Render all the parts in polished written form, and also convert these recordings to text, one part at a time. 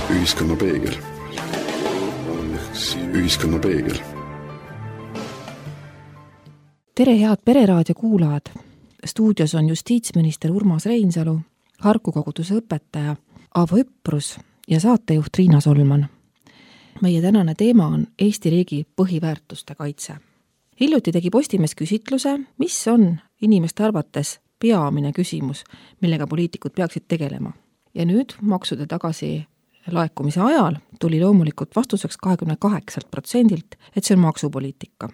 Ühiskonna peegel. Ühiskonna peegel. Tere, head Pereraadio kuulajad! Stuudios on justiitsminister Urmas Reinsalu, Harku koguduse õpetaja Aavo Üprus ja saatejuht Riina Solman. Meie tänane teema on Eesti riigi põhiväärtuste kaitse. Hiljuti tegi Postimees küsitluse, mis on inimeste arvates peamine küsimus, millega poliitikud peaksid tegelema. Ja nüüd maksude tagasi laekumise ajal tuli loomulikult vastuseks 28%, et see on maksupoliitika.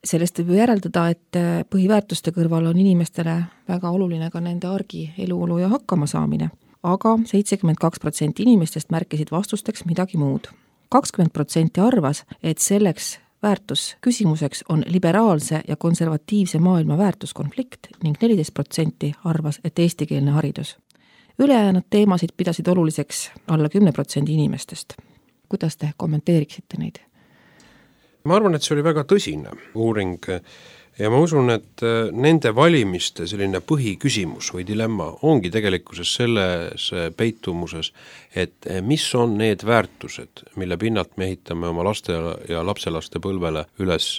Sellest võib järeldada, et põhiväärtuste kõrval on inimestele väga oluline ka nende argi, eluolu ja hakkama saamine. Aga 72% inimestest märkisid vastusteks midagi muud. 20% arvas, et selleks väärtusküsimuseks on liberaalse ja konservatiivse maailma väärtuskonflikt ning 14% arvas, et eestikeelne haridus. Ülejäänud teemasid pidasid oluliseks alla 10% inimestest. Kuidas te kommenteeriksite neid? Ma arvan, et see oli väga tõsine uuring ja ma usun, et nende valimiste selline põhiküsimus või dilemma ongi tegelikkuses selles peitumuses, et mis on need väärtused, mille pinnalt me ehitame oma laste ja lapselaste põlvele üles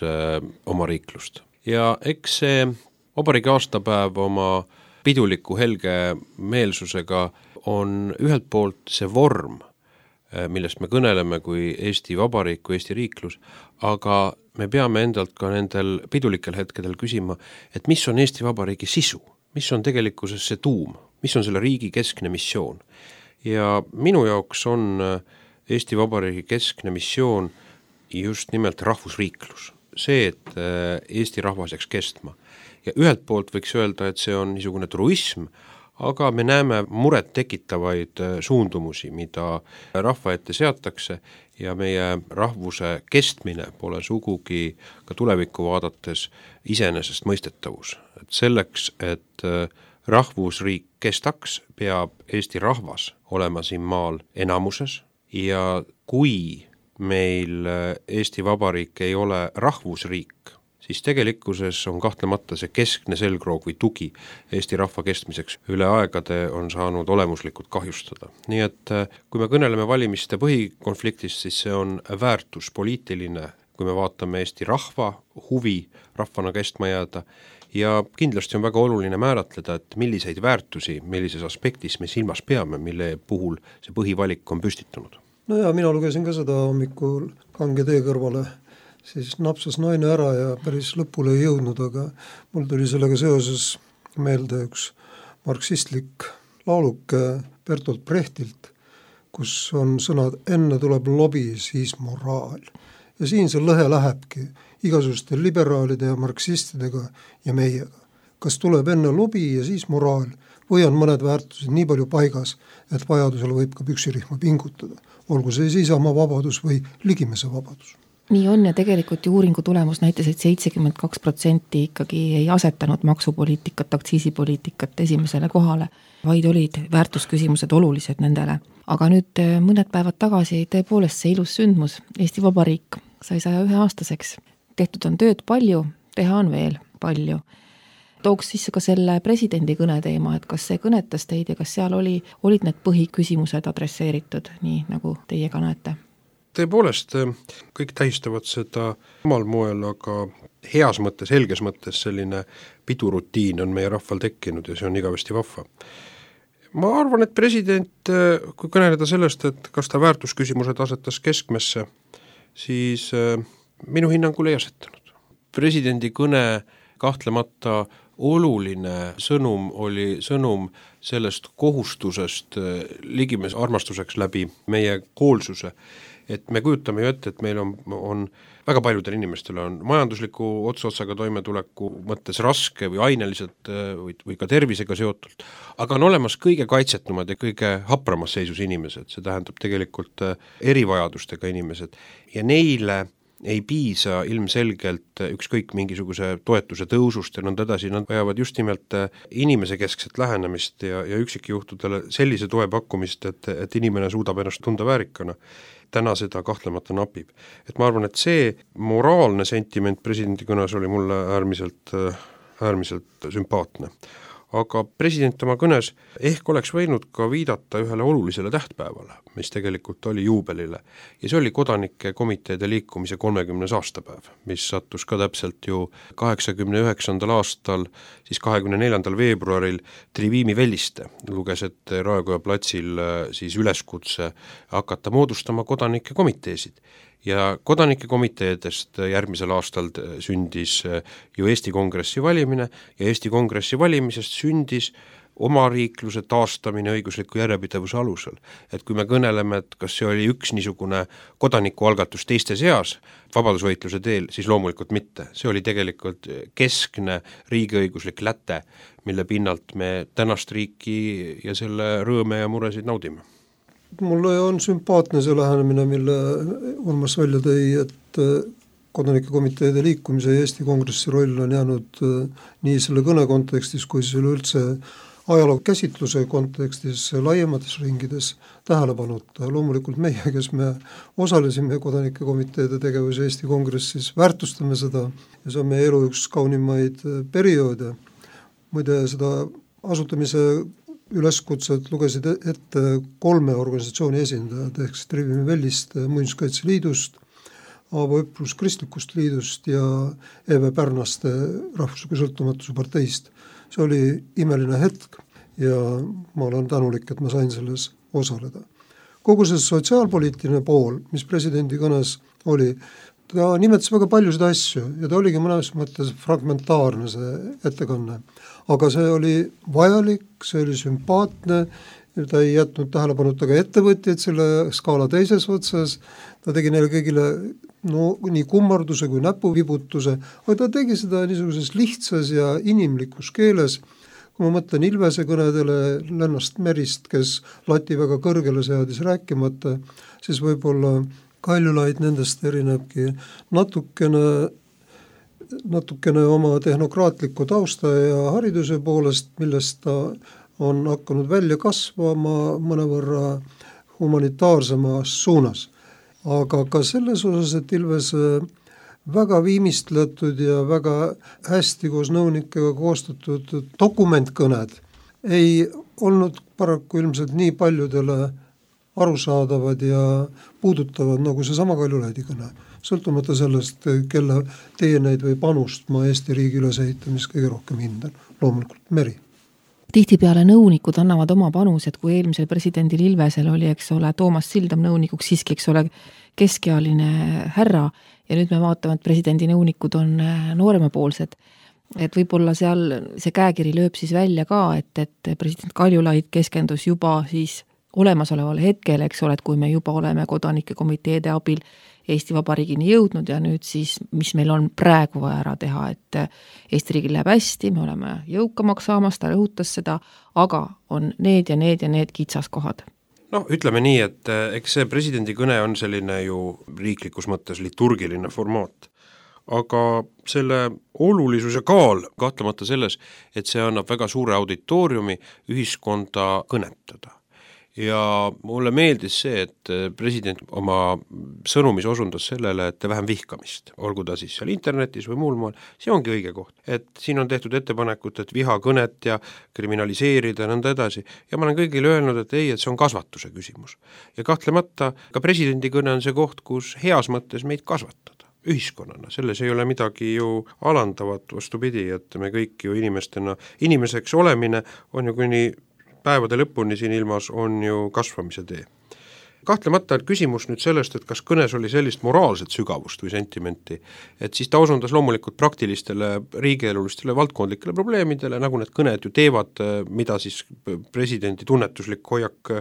oma riiklust. Ja eks see vabariigi aastapäev oma piduliku helge meelsusega on ühelt poolt see vorm, millest me kõneleme kui Eesti Vabariik, kui Eesti riiklus, aga me peame endalt ka nendel pidulikel hetkedel küsima, et mis on Eesti Vabariigi sisu, mis on tegelikkuses see tuum, mis on selle riigi keskne missioon. Ja minu jaoks on Eesti Vabariigi keskne missioon just nimelt rahvusriiklus. See, et Eesti rahvas jääks kestma. Ja ühelt poolt võiks öelda, et see on niisugune truism, aga me näeme muret tekitavaid suundumusi, mida rahva ette seatakse ja meie rahvuse kestmine pole sugugi ka tulevikku vaadates iseenesest mõistetavus. Et selleks, et rahvusriik kestaks, peab Eesti rahvas olema siin maal enamuses ja kui meil Eesti Vabariik ei ole rahvusriik, siis tegelikkuses on kahtlemata see keskne selgroog või tugi Eesti rahva kestmiseks üle aegade on saanud olemuslikult kahjustada. Nii et kui me kõneleme valimiste põhikonfliktist, siis see on väärtuspoliitiline, kui me vaatame Eesti rahva huvi rahvana kestma jääda ja kindlasti on väga oluline määratleda, et milliseid väärtusi, millises aspektis me silmas peame, mille puhul see põhivalik on püstitunud. No ja mina lugesin ka seda hommikul Kange tee kõrvale, siis napsas naine ära ja päris lõpule ei jõudnud, aga mul tuli sellega seoses meelde üks marksistlik lauluke Bertolt Brechtilt, kus on sõnad enne tuleb lobi, siis moraal. Ja siin see lõhe lähebki igasuguste liberaalide ja marksistidega ja meiega. Kas tuleb enne lobi ja siis moraal või on mõned väärtused nii palju paigas, et vajadusel võib ka püksirihma pingutada, olgu see Isamaa vabadus või Ligimese vabadus. Nii on ja tegelikult ju uuringu tulemus näitas, et 72% ikkagi ei asetanud maksupoliitikat, aktsiisipoliitikat esimesele kohale, vaid olid väärtusküsimused olulised nendele. Aga nüüd mõned päevad tagasi tõepoolest see ilus sündmus, Eesti Vabariik sai 101-aastaseks. Tehtud on tööd palju, teha on veel palju. Tooks sisse ka selle presidendi kõneteema, et kas see kõnetas teid ja kas seal olid need põhiküsimused adresseeritud, nii nagu teie ka näete? Tõepoolest, kõik tähistavad seda omal moel, aga heas mõttes, helges mõttes selline pidurutiin on meie rahval tekkinud ja see on igavesti vahva. Ma arvan, et president, kui kõneleda sellest, et kas ta väärtusküsimused asetas keskmesse, siis minu hinnangul ei asetanud. Presidendi kõne kahtlemata oluline sõnum oli sõnum sellest kohustusest Ligimes armastuseks läbi meie hoolsuse, et me kujutame ju ette, et meil on väga paljudel inimestel on majandusliku otsaga toimetuleku mõttes raske või aineliselt või ka tervisega seotult, aga on olemas kõige kaitsetumad ja kõige hapramas seisus inimesed, see tähendab tegelikult erivajadustega inimesed ja neile ei piisa ilmselgelt ükskõik mingisuguse toetuse tõusust ja nõnda edasi, nad vajavad just nimelt inimese keskset lähenemist ja üksikjuhtudele sellise toe pakkumist, et inimene suudab ennast tunda väärikana. Täna seda kahtlemata napib. Et ma arvan, et see moraalne sentiment presidendi kõnes oli mulle äärmiselt sümpaatne. aga president oma kõnes ehk oleks võinud ka viidata ühele olulisele tähtpäevale, mis tegelikult oli juubelile, ja see oli kodanike komiteede liikumise 30. aastapäev, mis sattus ka täpselt ju 89. aastal, siis 24. veebruaril Trivimi Velliste luges ette Raekoja platsil siis üleskutse hakata moodustama kodanike komiteesid. Ja kodanike komiteedest järgmisel aastal sündis ju Eesti Kongressi valimine ja Eesti Kongressi valimisest sündis omariikluse taastamine õigusliku järjepidevuse alusel. Et kui me kõneleme, et kas see oli üks niisugune kodanikualgatus teiste seas vabadusvõitluse teel, siis loomulikult mitte. See oli tegelikult keskne riigiõiguslik läte, mille pinnalt me tänast riiki ja selle rõõme ja muresid naudime. Mulle on sümpaatne see lähenemine, mille Urmas välja tõi, et kodanike komiteede liikumise ja Eesti Kongressi roll on jäänud nii selle kõne kontekstis kui selle üldse ajaloo käsitluse kontekstis laiemates ringides tähelepanuta. Loomulikult meie, kes me osalesime kodanike komiteede tegevuse Eesti Kongressis, väärtustame seda ja see on meie elu üks kaunimaid perioode. Muide, seda asutamise üleskutset lugesid ette 3 organisatsiooni esindajad, ehk Trivimi Velliste Muinsuskaitseliidust, Aavo Õprus Kristlikust liidust ja Eve Pärnaste Rahvusliku sõltumatuse parteist. See oli imeline hetk ja ma olen tänulik, et ma sain selles osaleda. Kogu see sotsiaalpoliitiline pool, mis presidendi kõnes oli, ta nimetas väga paljusid asju ja ta oligi mõnes mõttes fragmentaarne see ettekanne. Aga see oli vajalik, see oli sümpaatne, ta ei jätnud tähelepanuta ka ettevõtjaid selle skaala teises otsas, ta tegi neile kõigile nii kummarduse kui näpuvibutuse, aga ta tegi seda niisuguses lihtsas ja inimlikus keeles. Kui ma mõtlen Ilvese kõnedele Lennart Merist, kes lati väga kõrgele seadis rääkimata, siis võib-olla Kaljulaid nendest erinebki natukene oma tehnokraatliku tausta ja hariduse poolest, millest ta on hakanud välja kasvama mõnevõrra humanitaarsemas suunas. Aga ka selles osas, et Ilvese väga viimistletud ja väga hästi koos nõunikega koostatud dokumentkõned ei olnud paraku ilmselt nii paljudele arusaadavad ja puudutavad nagu see sama Kaljulaidi kõne. Sõltumata sellest, kelle teeneid või panust ma Eesti riigi ülesehitamist kõige rohkem hindan. Loomulikult Meri. Tihtipeale nõunikud annavad oma panused, kui eelmisel presidendil Ilvesel oli, eks ole, Toomas Sildam nõunikuks siiski, eks ole, keskealine härra ja nüüd me vaatame, et presidendi nõunikud on nooremapoolsed. Et võib-olla seal see käekiri lööb siis välja ka, et president Kaljulaid keskendus juba siis olemasolevale hetkel, eks ole, et kui me juba oleme kodanike komiteede abil Eesti Vabariigini jõudnud ja nüüd siis, mis meil on praegu vaja ära teha, et Eesti riigil läheb hästi, me oleme jõukamaks saamas, ta rõhutas seda, aga on need ja need kitsaskohad. Ütleme nii, et eks see presidendi kõne on selline ju riiklikus mõttes liturgiline formaat, aga selle olulisus ja kaal kahtlemata selles, et see annab väga suure auditooriumi ühiskonda kõnetada. Ja mulle meeldis see, et president oma sõnumis osundas sellele, et vähem vihkamist, olgu ta siis seal internetis või muul maal, see ongi õige koht. Et siin on tehtud ettepanekut, et vihakõnet ja kriminaliseerida ja nõnda edasi. Ja ma olen kõigile öelnud, et ei, et see on kasvatuse küsimus. Ja kahtlemata ka presidendi kõne on see koht, kus heas mõttes meid kasvatada ühiskonnana, selles ei ole midagi ju alandavat, vastupidi, et me kõik ju inimeseks olemine on ju kuni päevade lõpuni siin ilmas on ju kasvamise tee. Kahtlemata on küsimus nüüd sellest, et kas kõnes oli sellist moraalset sügavust või sentimenti, et siis ta osundas loomulikult praktilistele riigielulistele valdkondlikele probleemidele, nagu need kõned ju teevad, mida siis presidendi tunnetuslik hoiak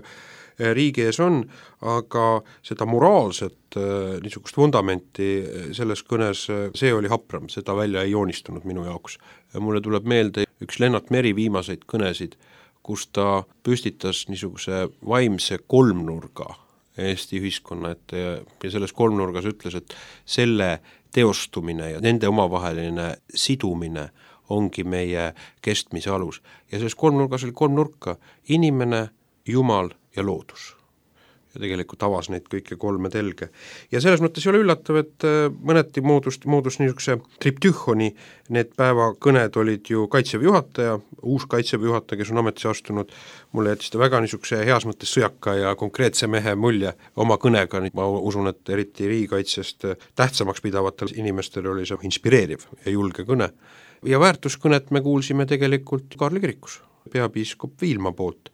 riigi ees on, aga seda moraalset niisugust vundamenti selles kõnes, see oli hapram, seda välja ei joonistunud minu jaoks. Mulle tuleb meelde üks Lennart Meri viimaseid kõnesid, kus ta püstitas niisuguse vaimse kolmnurga Eesti ühiskonna ette ja selles kolmnurgas ütles, et selle teostumine ja nende omavaheline sidumine ongi meie kestmise alus. Ja selles kolmnurgas oli 3 nurka, inimene, jumal ja loodus. ja tegelikult avas neid kõike 3 telge. Ja selles mõttes ei ole üllatav, et mõneti moodus niisuguse triptühhoni, need päevakõned olid ju Kaitseväe juhataja, uus Kaitseväe juhataja, kes on ametisse astunud, mulle jättis ta väga niisuguse heas mõttes sõjaka ja konkreetse mehe mulje oma kõnega, ma usun, et eriti riigikaitsest tähtsamaks pidavatel inimestel oli see inspireeriv ja julge kõne. Ja väärtuskõnet me kuulsime tegelikult Kaarli kirikus, peapiiskop Viilma poolt,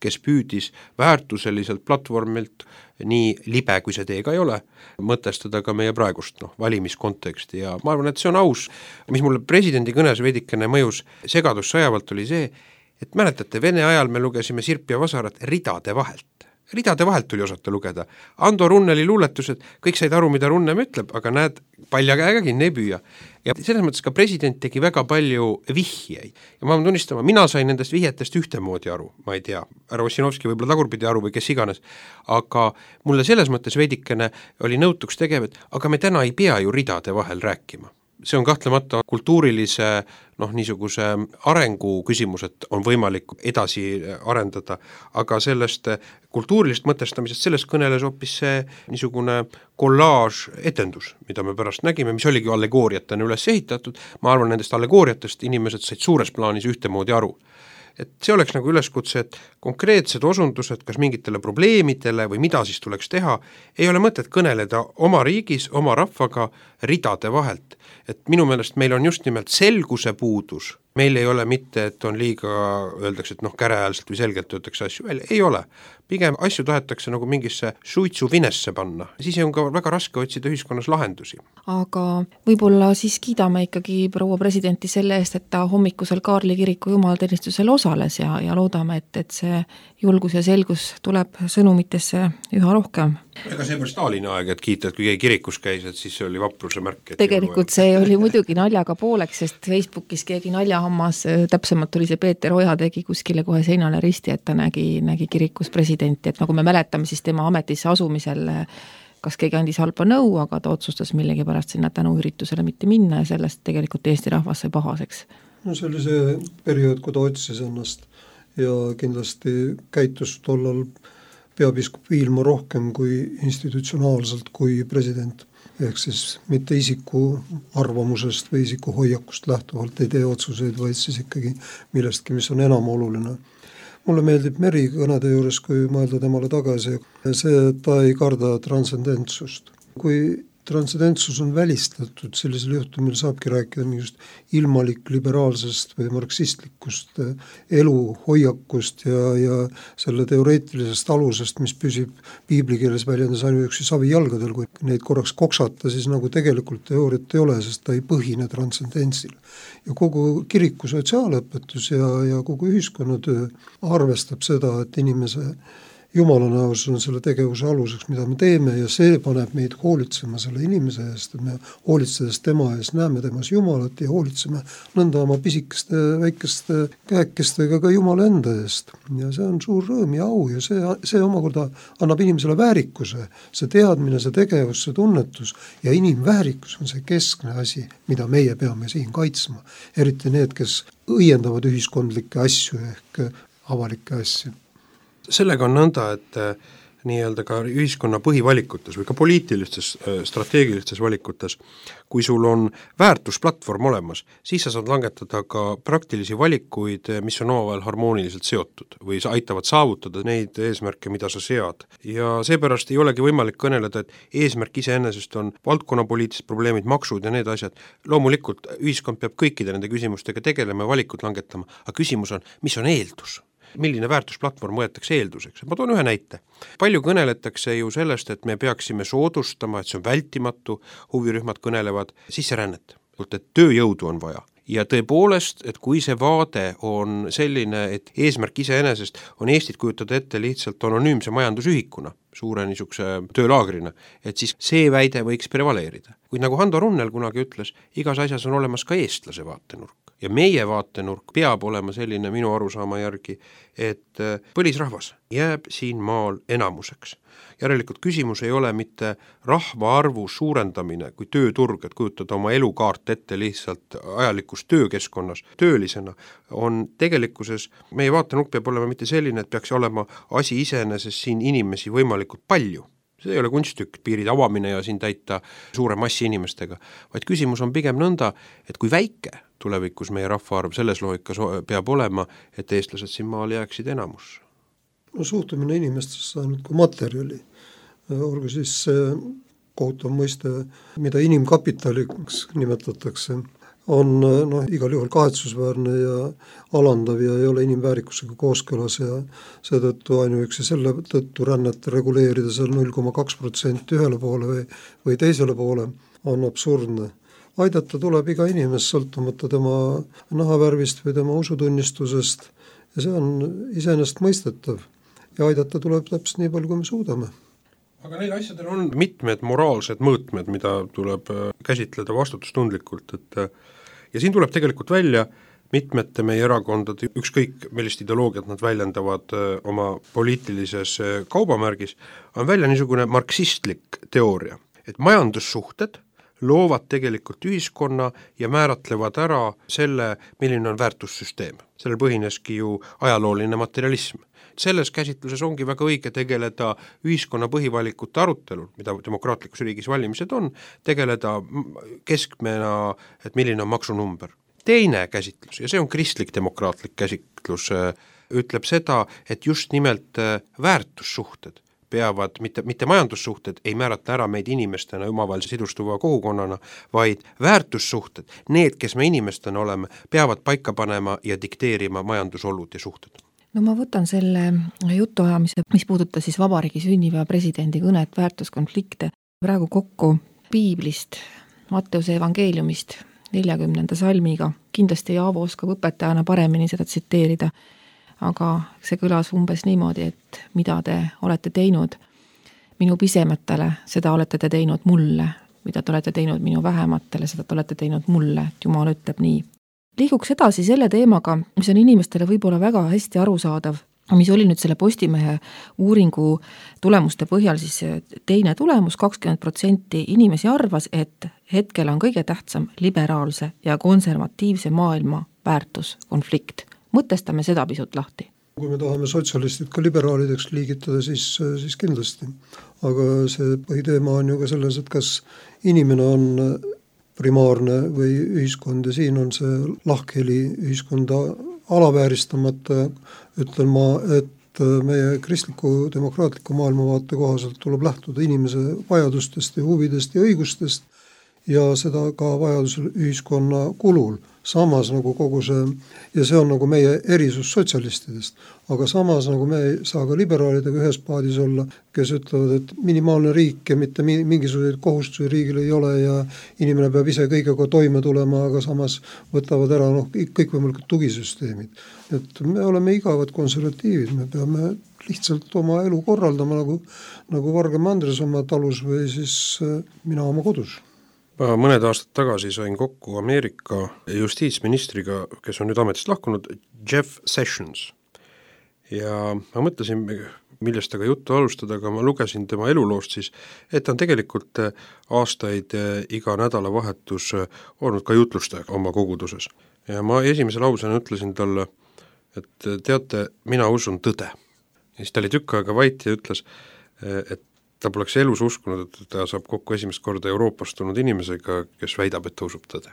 kes püüdis väärtuseliselt platvormilt, nii libe kui see teega ei ole, mõtestada ka meie praegust valimiskonteksti ja ma arvan, et see on aus. Mis mulle presidendi kõnes veidikene mõjus segadus sajavalt oli see, et mäletate, Vene ajal me lugesime Sirp ja Vasarat ridade vahelt tuli osata lugeda. Ando Runneli luuletused, kõik said aru, mida Runnem ütleb, aga näed, palja käega kinni ei püüa. Ja selles mõttes ka president tegi väga palju vihjeid. Ja ma pean tunnistama, mina sain nendest vihjetest ühtemoodi aru, ma ei tea, härra Ossinovski võib-olla tagurpidi aru või kes iganes, aga mulle selles mõttes veidikene oli nõutuks tegev, et aga me täna ei pea ju ridade vahel rääkima. See on kahtlemata kultuurilise niisuguse arengu küsimus, et on võimalik edasi arendada, aga sellest kultuurilist mõtestamisest sellest kõneles hoopis see niisugune kollaaž etendus, mida me pärast nägime, mis oligi allegooriatena üles ehitatud. Ma arvan, nendest allegooriatest inimesed said suures plaanis ühtemoodi aru. Et see oleks nagu üleskutse, et konkreetsed osundused, kas mingitele probleemidele või mida siis tuleks teha, ei ole mõtet kõneleda oma riigis, oma rahvaga ridade vahelt. Et minu meelest meil on just nimelt selguse puudus. Meil ei ole mitte, et on liiga, öeldakse, et käreäälselt või selgelt öeldakse asju välja, ei ole. Pigem asju tahetakse nagu mingisse suitsuvinesse panna, siis on ka väga raske otsida ühiskonnas lahendusi. Aga võib-olla siis kiidame ikkagi proua presidenti selle eest, et ta hommikusel Kaarli kiriku jumalateenistusel osales ja loodame, et see julgus ja selgus tuleb sõnumitesse üha rohkem. Ega see oli Stalini aeg, et kiita, et kui keegi kirikus käis, et siis see oli vapruse märk. Tegelikult see oli muidugi naljaga pooleks, sest Facebookis keegi naljahammas, täpsemalt oli see Peeter Oja tegi kuskile kohe seinale risti, et ta nägi kirikus presidenti, et nagu me mäletame, siis tema ametisse asumisel kas keegi andis halba nõu, aga ta otsustas millegi pärast sinna tänuüritusele mitte minna ja sellest tegelikult Eesti rahvas sai pahaseks. No see oli see periood, kui ta otsis ennast ja kindlasti käitus tollal peapiiskop Viilma rohkem kui institutsionaalselt kui president. Ehk siis mitte isiku arvamusest või isiku hoiakust lähtuvalt ei tee otsuseid, vaid siis ikkagi millestki, mis on enam oluline. Mulle meeldib Meri kõnede juures, kui mõelda temale tagasi, see, et ta ei karda transcendentsust. Kui transcendentsus on välistatud, sellisel juhtumil saabki rääkida mingust ilmalik liberaalsest või marksistlikust eluhoiakust ja selle teoreetilisest alusest, mis püsib piiblikeeles väljendas ainuüksi savi jalgadel, kui neid korraks koksata, siis nagu tegelikult teooriat ei ole, sest ta ei põhine transcendentsil. Ja kogu kiriku sotsiaalõpetus ja kogu ühiskonnatöö arvestab seda, et inimese Jumala näos on selle tegevuse aluseks, mida me teeme ja see paneb meid hoolitsema selle inimese eest, et me hoolitsedes tema eest näeme temas Jumalat ja hoolitseme nõnda oma pisikeste, väikeste käekestega ka Jumala enda eest. Ja see on suur rõõm ja au ja see omakorda annab inimesele väärikuse, see teadmine, see tegevus, see tunnetus ja inimväärikus on see keskne asi, mida meie peame siin kaitsma. Eriti need, kes õiendavad ühiskondlikke asju ehk avalikke asju. Sellega on nõnda, et nii-öelda ka ühiskonna põhivalikutes või ka poliitilistes, strateegilistes valikutes, kui sul on väärtusplatvorm olemas, siis sa saad langetada ka praktilisi valikuid, mis on omavahel harmooniliselt seotud või sa aitavad saavutada neid eesmärke, mida sa sead. Ja seepärast ei olegi võimalik kõneleda, et eesmärk iseenesest on valdkonnapoliitilised probleemid, maksud ja need asjad. Loomulikult ühiskond peab kõikide nende küsimustega tegelema ja valikut langetama, aga küsimus on, mis on eeldus? Milline väärtusplatvorm võetakse eelduseks? Ma toon ühe näite. Palju kõneletakse ju sellest, et me peaksime soodustama, et see on vältimatu, huvirühmad kõnelevad sisserännet, et tööjõudu on vaja. Ja tõepoolest, et kui see vaade on selline, et eesmärk iseenesest on Eestit kujutada ette lihtsalt anonüümse majandusühikuna, suure niisuguse töölaagrina, et siis see väide võiks prevaleerida. Kuid nagu Hando Runnel kunagi ütles, igas asjas on olemas ka eestlase vaatenurk. ja meie vaatenurk peab olema selline minu arusaama järgi, et põlisrahvas jääb siin maal enamuseks. Järelikult küsimus ei ole mitte rahvaarvu suurendamine kui tööturg, et kujutada oma elukaart ette lihtsalt ajalikus töökeskkonnas töölisena, on tegelikkuses, meie vaatenurk peab olema mitte selline, et peaks olema asi iseenesest siin inimesi võimalikult palju. See ei ole kunsttükk, piirid avamine ja siin täita suure massi inimestega, vaid küsimus on pigem nõnda, et kui väike tulevikus meie rahvaarv selles loogikas peab olema, et eestlased siin maal jääksid enamusse. No suhtumine inimestesse ainult kui materjali, olgu siis kohutav mõiste, mida inimkapitaliks nimetatakse, on igal juhul kahetsusväärne ja alandav ja ei ole inimväärikusega kooskõlas ja seetõttu ainuüksi selle tõttu rännet reguleerida seal 0,2% ühele poole või teisele poole on absurdne. Aidata tuleb iga inimest sõltumata tema nahavärvist või tema usutunnistusest ja see on iseenesest mõistetav ja aidata tuleb täpselt nii palju, kui me suudame. Aga neil asjadel on mitmed moraalsed mõõtmed, mida tuleb käsitleda vastutustundlikult, ja siin tuleb tegelikult välja mitmete meie erakondade, ükskõik millist ideoloogiat nad väljendavad oma poliitilises kaubamärgis, on välja niisugune marksistlik teooria, et majandussuhted loovad tegelikult ühiskonna ja määratlevad ära selle, milline on väärtussüsteem. Sellel põhineski ju ajalooline materialism. Selles käsitluses ongi väga õige tegeleda ühiskonna põhivalikute arutelul, mida demokraatlikus riigis valimised on, tegeleda keskmena, et milline on maksunumber. Teine käsitlus, ja see on kristlik demokraatlik käsitlus, ütleb seda, et just nimelt väärtussuhted peavad, mitte majandussuhted ei määrata ära meid inimestena omavahelise sidustuva kogukonnana, vaid väärtussuhted, need, kes me inimestena oleme, peavad paika panema ja dikteerima majandusolud ja suhted. No ma võtan selle jutuajamise, mis puudutas siis vabariigi sünnipäeva presidendi kõnet, väärtuskonflikte, praegu kokku piiblist, Matteuse evangeeliumist 40. salmiga. Kindlasti Jaavo oskab õpetajana paremini seda tsiteerida, aga see kõlas umbes niimoodi, et mida te olete teinud minu pisematele, seda olete te teinud mulle, mida te olete teinud minu vähematele, seda te olete teinud mulle, et Jumal ütleb nii. Liiguks edasi selle teemaga, mis on inimestele võib-olla väga hästi arusaadav, mis oli nüüd selle Postimehe uuringu tulemuste põhjal siis teine tulemus, 20% inimesi arvas, et hetkel on kõige tähtsam liberaalse ja konservatiivse maailma väärtuskonflikt. Mõtestame seda pisut lahti. Kui me tahame sotsialistid ka liberaalideks liigitada, siis kindlasti. Aga see põhiteema on ju ka selles, et kas inimene on primaarne või ühiskond ja siin on see lahkheli ühiskonda alavääristamata, ütlen ma, et meie kristliku demokraatliku maailmavaate kohaselt tuleb lähtuda inimese vajadustest ja huvidest ja õigustest ja seda ka vajadusel ühiskonna kulul. Samas nagu kogu see, ja see on nagu meie erisus sotsialistidest, aga samas nagu me ei saa ka liberaalidega ühes paadis olla, kes ütlevad, et minimaalne riik ja mitte mingisuguseid kohustusi riigil ei ole ja inimene peab ise kõigega toime tulema, aga samas võtavad ära kõikvõimalikud tugisüsteemid. Et me oleme igavad konservatiivid, me peame lihtsalt oma elu korraldama nagu Vargem Andres oma talus või siis mina oma kodus. Ma mõned aastad tagasi sain kokku Ameerika justiitsministriga, kes on nüüd ametist lahkunud, Jeff Sessions. Ja ma mõtlesin, millest aga juttu alustada, aga ma lugesin tema eluloost siis, et ta on tegelikult aastaid iga nädalavahetus olnud ka jutlustaja oma koguduses. Ja ma esimese lausena ütlesin talle, et teate, mina usun tõde. Ja siis ta oli tükk aega vait ja ütles, et ta poleks elus uskunud, et ta saab kokku esimest korda Euroopast tulnud inimesega, kes väidab, et ta usub tõde.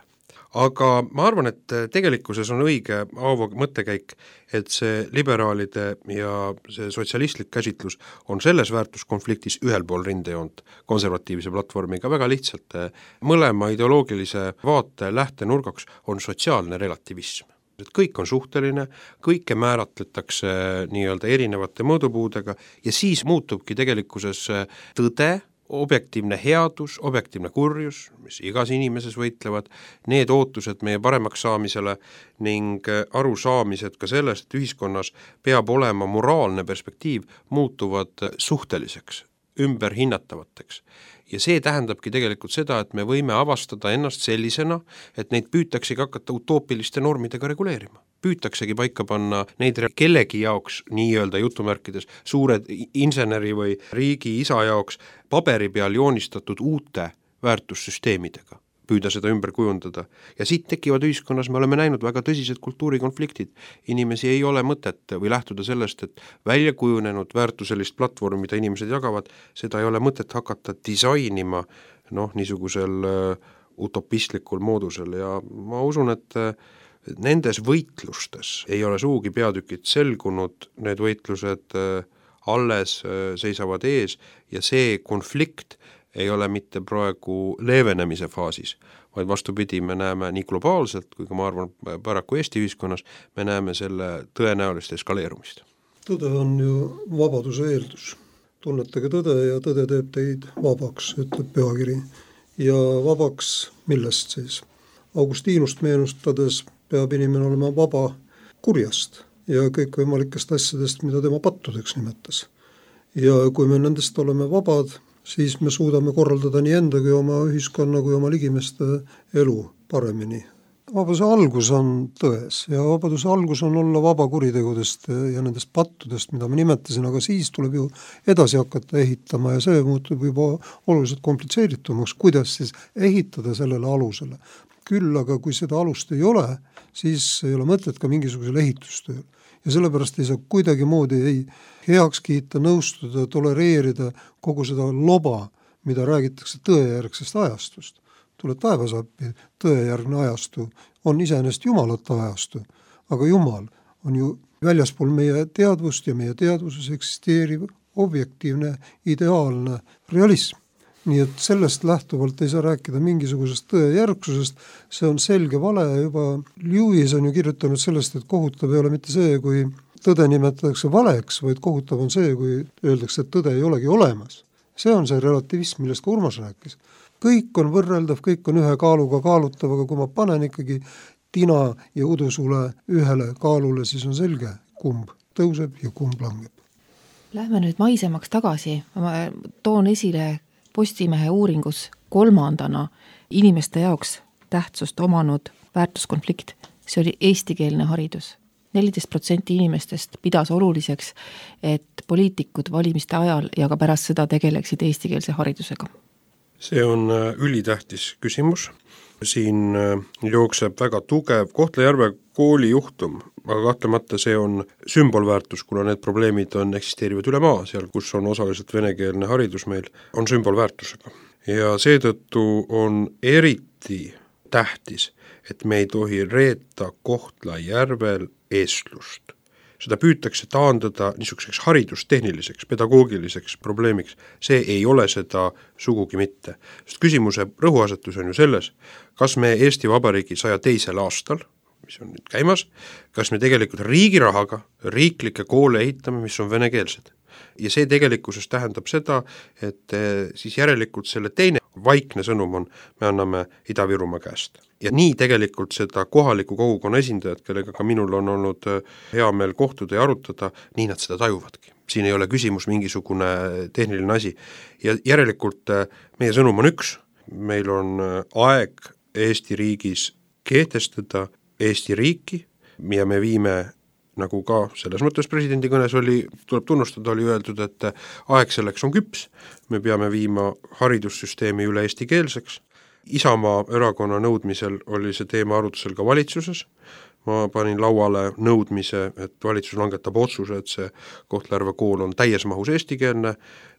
Aga ma arvan, et tegelikkuses on õige Aavo mõttekäik, et see liberaalide ja see sotsialistlik käsitlus on selles väärtuskonfliktis ühel pool rindejoont konservatiivse platvormiga väga lihtsalt. Mõlema ideoloogilise vaate lähtenurgaks on sotsiaalne relativism. Et kõik on suhteline, kõike määratletakse nii-öelda erinevate mõõdupuudega ja siis muutubki tegelikkuses tõde, objektiivne headus, objektiivne kurjus, mis igas inimeses võitlevad, need ootused meie paremaks saamisele ning arusaamised ka sellest, et ühiskonnas peab olema moraalne perspektiiv, muutuvad suhteliseks. ümberhinnatavateks. Ja see tähendabki tegelikult seda, et me võime avastada ennast sellisena, et neid püütaksegi hakata utoopiliste normidega reguleerima. Püütaksegi paika panna neid kellegi jaoks, nii-öelda jutumärkides, suure inseneri või riigi isa jaoks paberi peal joonistatud uute väärtussüsteemidega, püüda seda ümber kujundada. Ja siit tekivad ühiskonnas, me oleme näinud väga tõsised kultuurikonfliktid. Inimesi ei ole mõtet või lähtuda sellest, et välja kujunenud väärtuselist platvormi, mida inimesed jagavad, seda ei ole mõtet hakata disainima niisugusel utopistlikul moodusel ja ma usun, et nendes võitlustes ei ole suugi peatükid selgunud, need võitlused alles seisavad ees ja see konflikt ei ole mitte praegu leevenemise faasis, vaid vastupidi, me näeme nii globaalselt, kui ka ma arvan paraku Eesti ühiskonnas, me näeme selle tõenäolist eskaleerumist. Tõde on ju vabaduse eeldus. Tunnetage tõde ja tõde teeb teid vabaks, ütleb pühakiri. Ja vabaks millest siis? Augustinust meenustades peab inimene olema vaba kurjast ja kõikvõimalikest asjadest, mida tema pattudeks nimetas. Ja kui me nendest oleme vabad, siis me suudame korraldada nii enda kui oma ühiskonna kui oma ligimeste elu paremini. Vabaduse algus on tões ja vabaduse algus on olla vaba kuritegudest ja nendest pattudest, mida ma nimetasin, aga siis tuleb ju edasi hakata ehitama ja see muutub juba oluliselt komplitseeritumaks, kuidas siis ehitada sellele alusele. Küll aga kui seda alust ei ole, siis ei ole mõtet ka mingisugusel ehitustööl. Ja sellepärast ei saa kuidagi moodi ei heaks kiita, nõustuda, tolereerida kogu seda loba, mida räägitakse tõejärgsest ajastust. Tule taevas appi, tõejärgne ajastu on iseenesest jumalate ajastu, aga Jumal on ju väljaspool meie teadvust ja meie teadvuses eksisteeriv objektiivne, ideaalne realism. Nii et sellest lähtuvalt ei saa rääkida mingisugusest tõejärgsusest, see on selge vale, juba Lewis on ju kirjutanud sellest, et kohutav ei ole mitte see, kui tõde nimetatakse valeks, vaid kohutav on see, kui öeldakse, et tõde ei olegi olemas. See on see relativism, millest ka Urmas rääkis. Kõik on võrreldav, kõik on ühe kaaluga kaalutav, aga kui ma panen ikkagi tina ja udusule ühele kaalule, siis on selge, kumb tõuseb ja kumb langeb. Lähme nüüd maisemaks tagasi, ma toon esile Postimehe uuringus 3. inimeste jaoks tähtsust omanud väärtuskonflikt. See oli eestikeelne haridus. 14% inimestest pidas oluliseks, et poliitikud valimiste ajal ja ka pärast seda tegeleksid eestikeelse haridusega. See on ülitähtis küsimus. Siin jookseb väga tugev Kohtla-Järve kooli juhtum, aga kahtlemata see on sümbolväärtus, kuna need probleemid eksisteerivad üle maa, seal kus on osaliselt venekeelne haridus meil, on sümbolväärtusega. Ja seetõttu on eriti tähtis, et me ei tohi reeta Kohtla-Järvel eestlust. Seda püütakse taandada niisuguseks haridustehniliseks, pedagoogiliseks probleemiks. See ei ole seda sugugi mitte. Sest küsimuse rõhuasetus on ju selles, kas me Eesti Vabariigi 102. aastal, mis on nüüd käimas, kas me tegelikult riigi rahaga riiklikke koole ehitame, mis on venekeelsed. Ja see tegelikkuses tähendab seda, et siis järelikult selle teine vaikne sõnum on, me anname Ida-Virumaa käest. Ja nii tegelikult seda kohaliku kogukonna esindajad, kellega ka minul on olnud hea meel kohtuda ja arutada, nii nad seda tajuvadki. Siin ei ole küsimus mingisugune tehniline asi. Ja järelikult meie sõnum on üks, meil on aeg Eesti riigis kehtestada Eesti riiki ja me viime, nagu ka selles mõttes presidendi kõnes oli, tuleb tunnustada, oli öeldud, et aeg selleks on küps, me peame viima haridussüsteemi üle eestikeelseks. Isamaa erakonna nõudmisel oli see teema arutusel ka valitsuses. Ma panin lauale nõudmise, et valitsus langetab otsuse, et see Kohtla-Järve kool on täies mahus eestikeelne.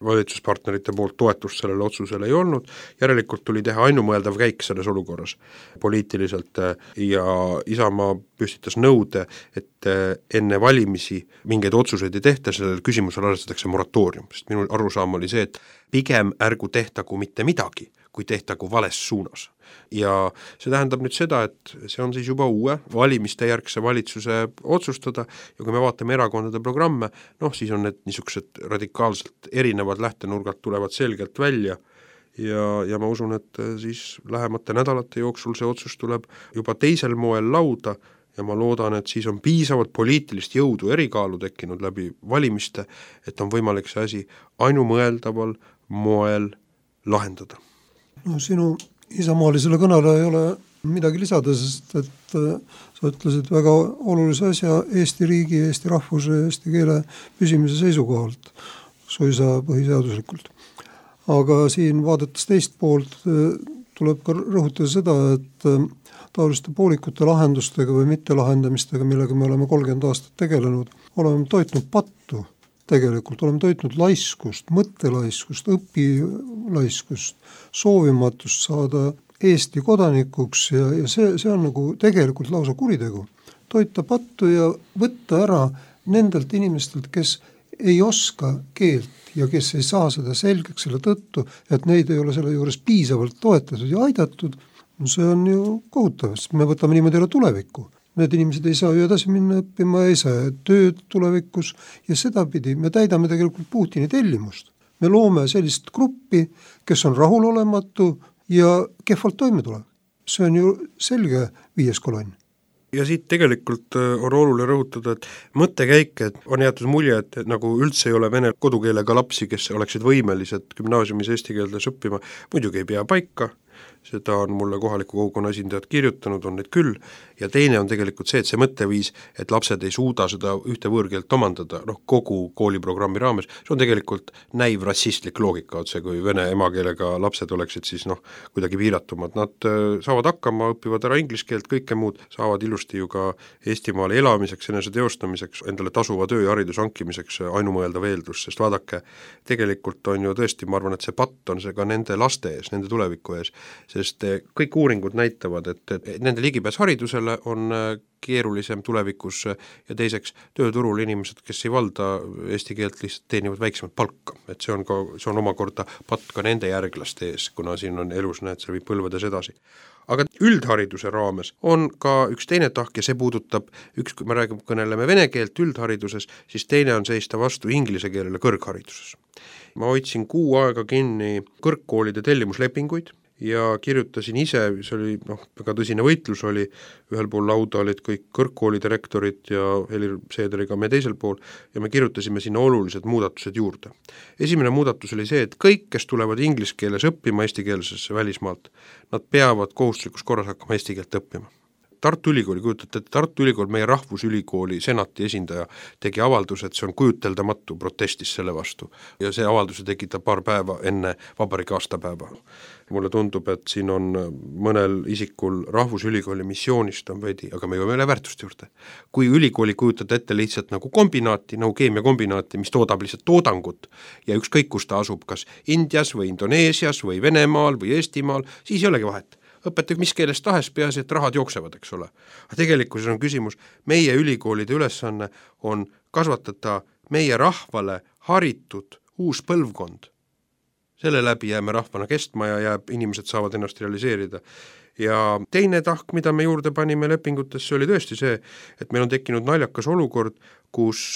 Valitsuspartnerite poolt toetust sellele otsusele ei olnud. Järelikult tuli teha ainumõeldav käik selles olukorras poliitiliselt ja Isamaa püstitas nõude, et enne valimisi mingeid otsuseid ei tehta, sellel küsimusel arvestatakse moratoorium. Sest minu arusaam oli see, et pigem ärgu tehtagu mitte midagi, kui tehtagu vales suunas. Ja see tähendab nüüd seda, et see on siis juba uue valimiste järgse valitsuse otsustada ja kui me vaatame erakondade programme, siis on need niisugused radikaalselt erinevad lähtenurgad tulevad selgelt välja ja ma usun, et siis lähemate nädalate jooksul see otsus tuleb juba teisel moel lauda ja ma loodan, et siis on piisavalt poliitilist jõudu erikaalu tekkinud läbi valimiste, et on võimalik see asi ainumõeldaval moel lahendada. No sinu isamaalisele kõnele ei ole midagi lisada, sest et sa ütlesid väga olulise asja Eesti riigi, Eesti rahvuse, Eesti keele püsimise seisukohalt, suisa põhiseaduslikult. Aga siin vaadates teist poolt tuleb ka rõhutada seda, et taoliste poolikute lahendustega või mittelahendamistega, millega me oleme 30 aastat tegelenud, oleme toitnud pattu tegelikult, oleme toitnud laiskust, mõttelaiskust, õpilaiskust, soovimatust saada Eesti kodanikuks ja see on nagu tegelikult lausa kuritegu. Toita pattu ja võtta ära nendelt inimestelt, kes ei oska keelt ja kes ei saa seda selgeks selle tõttu, et neid ei ole selle juures piisavalt toetatud ja aidatud, no see on ju kohutav, sest me võtame niimoodi ära tulevikku. Need inimesed ei saa ju edasi minna õppima, ei saa tööd tulevikus ja sedapidi me täidame tegelikult Putini tellimust. Me loome sellist gruppi, kes on rahulolematu ja kehvalt toime tuleb. See on ju selge 5. kolonn. Ja siit tegelikult on oluline rõhutada, et mõttekäik, et on jäetud mulje, et nagu üldse ei ole vene kodukeelega lapsi, kes oleksid võimelised gümnaasiumis eesti keeldes õppima, muidugi ei pea paika, seda on mulle kohaliku kogukonna esindajad kirjutanud, on neid küll, ja teine on tegelikult see, et see mõtteviis, et lapsed ei suuda seda ühte võõrkeelt omandada, kogu kooliprogrammi raames, see on tegelikult näiv rassistlik loogika otse, kui vene emakeelega lapsed oleksid siis kuidagi piiratumad. Nad saavad hakkama, õpivad ära inglise keelt, kõike muud, saavad ilusti ju ka Eestimaal elamiseks, enese teostamiseks, endale tasuva töö ja haridus hankimiseks ainumõeldav eeldus, sest vaadake, tegelikult on ju tõesti, ma arvan, et see patt on see ka nende laste ees, nende tuleviku ees, sest kõik uuringud näitavad, et nende ligipääs haridusele on keerulisem tulevikus ja teiseks tööturul inimesed, kes ei valda eesti keelt, lihtsalt teenivad väiksemat palka. Et see on omakorda patt ka nende järglaste ees, kuna siin on elus, see viib põlvedes edasi. Aga üldhariduse raames on ka üks teine tahk ja see puudutab, kui me kõneleme vene keelt üldhariduses, siis teine on seista vastu inglise keelele kõrghariduses. Ma hoidsin 6 aega kinni kõrgkoolide tellimuslepinguid ja kirjutasin ise, see oli väga tõsine võitlus oli, ühel pool lauda olid kõik kõrgkoolide rektorid ja Helir Seederiga me teisel pool ja me kirjutasime sinna olulised muudatused juurde. Esimene muudatus oli see, et kõik, kes tulevad inglise keeles õppima eestikeelsesse välismaalt, nad peavad kohustuslikus korras hakkama eesti keelt õppima. Tartu Ülikooli, kujutate, et Tartu Ülikool, meie rahvusülikooli senati esindaja tegi avalduse, et see on kujuteldamatu, protestis selle vastu ja see avalduse tegi ta paar päeva enne vabariigi aastapäeva. Mulle tundub, et siin on mõnel isikul rahvusülikooli missioonist on veidi, aga me jõuame väärtuste juurde. Kui ülikooli kujutada ette lihtsalt nagu kombinaati, nagu keemiakombinaati, mis toodab lihtsalt toodangut ja ükskõik kus ta asub, kas Indias või Indoneesias või Venemaal või Eestimaal, siis ei olegi vahet. Õpetage mis keeles tahes, peaasi, et rahad jooksevad, eks ole. Aga tegelikkuses on küsimus, meie ülikoolide ülesanne on kasvatada meie rahvale haritud uus põlvkond. Selle läbi jääme rahvana kestma ja inimesed saavad ennast realiseerida. Ja teine tahk, mida me juurde panime lepingutesse, oli tõesti see, et meil on tekkinud naljakas olukord, kus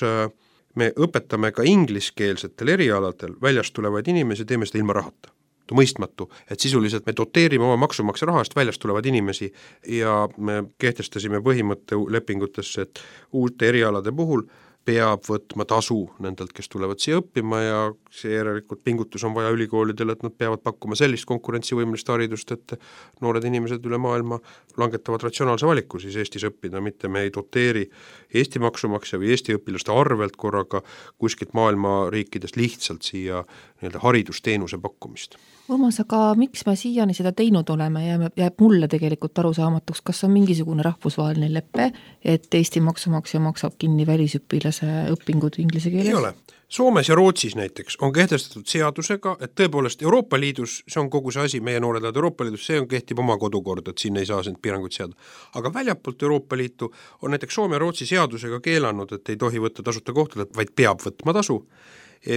me õpetame ka ingliskeelsetel erialadel väljast tulevaid inimesi, teeme seda ilma rahata. Mõistmatu, et sisuliselt me doteerime oma maksumaksja rahast väljast tulevad inimesi ja me kehtestasime põhimõtte lepingutesse, et uute erialade puhul peab võtma tasu nendelt, kes tulevad siia õppima ja see järelikult pingutus on vaja ülikoolidele, et nad peavad pakkuma sellist konkurentsivõimelist haridust, et noored inimesed üle maailma langetavad ratsionaalse valiku siis Eestis õppida, mitte me ei doteeri Eesti maksumaksja või Eesti õpilaste arvelt korraga kuskilt maailma riikidest lihtsalt siia haridusteenuse pakkumist. Urmas, aga miks me siiani seda teinud oleme, jääb mulle tegelikult arusaamatuks, kas on mingisugune rahvusvaheline leppe, et Eesti maksumaksja maksab kinni välisõpilase õpingud inglise keeles? Ei ole. Soomes ja Rootsis näiteks on kehtestatud seadusega, et tõepoolest Euroopa Liidus, see on kogu see asi, meie noored lähevad Euroopa Liidus, see kehtib oma kodukord, et siin ei saa piiranguid seada. Aga väljapoolt Euroopa Liitu on näiteks Soome ja Rootsi seadusega keelanud, et ei tohi võtta tasuta kohtadelt, vaid peab võtma tasu.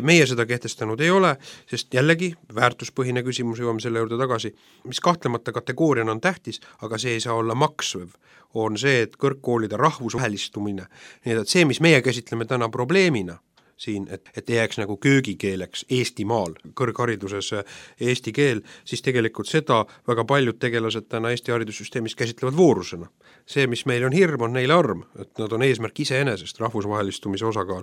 Meie seda kehtestanud ei ole, sest jällegi väärtuspõhine küsimus, jõuame selle juurde tagasi, mis kahtlemata kategooriana on tähtis, aga see ei saa olla maksvev, on see, et kõrgkoolide rahvusvahelistumine, nii et see, mis meie käsitleme täna probleemina, siin, et ei jääks nagu köögikeeleks Eestimaal, kõrghariduses eesti keel, siis tegelikult seda väga paljud tegelased täna Eesti haridussüsteemis käsitlevad voorusena. See, mis meil on hirm, on neile arm, et nad on eesmärk iseenesest, rahvusvahelistumise osakaal.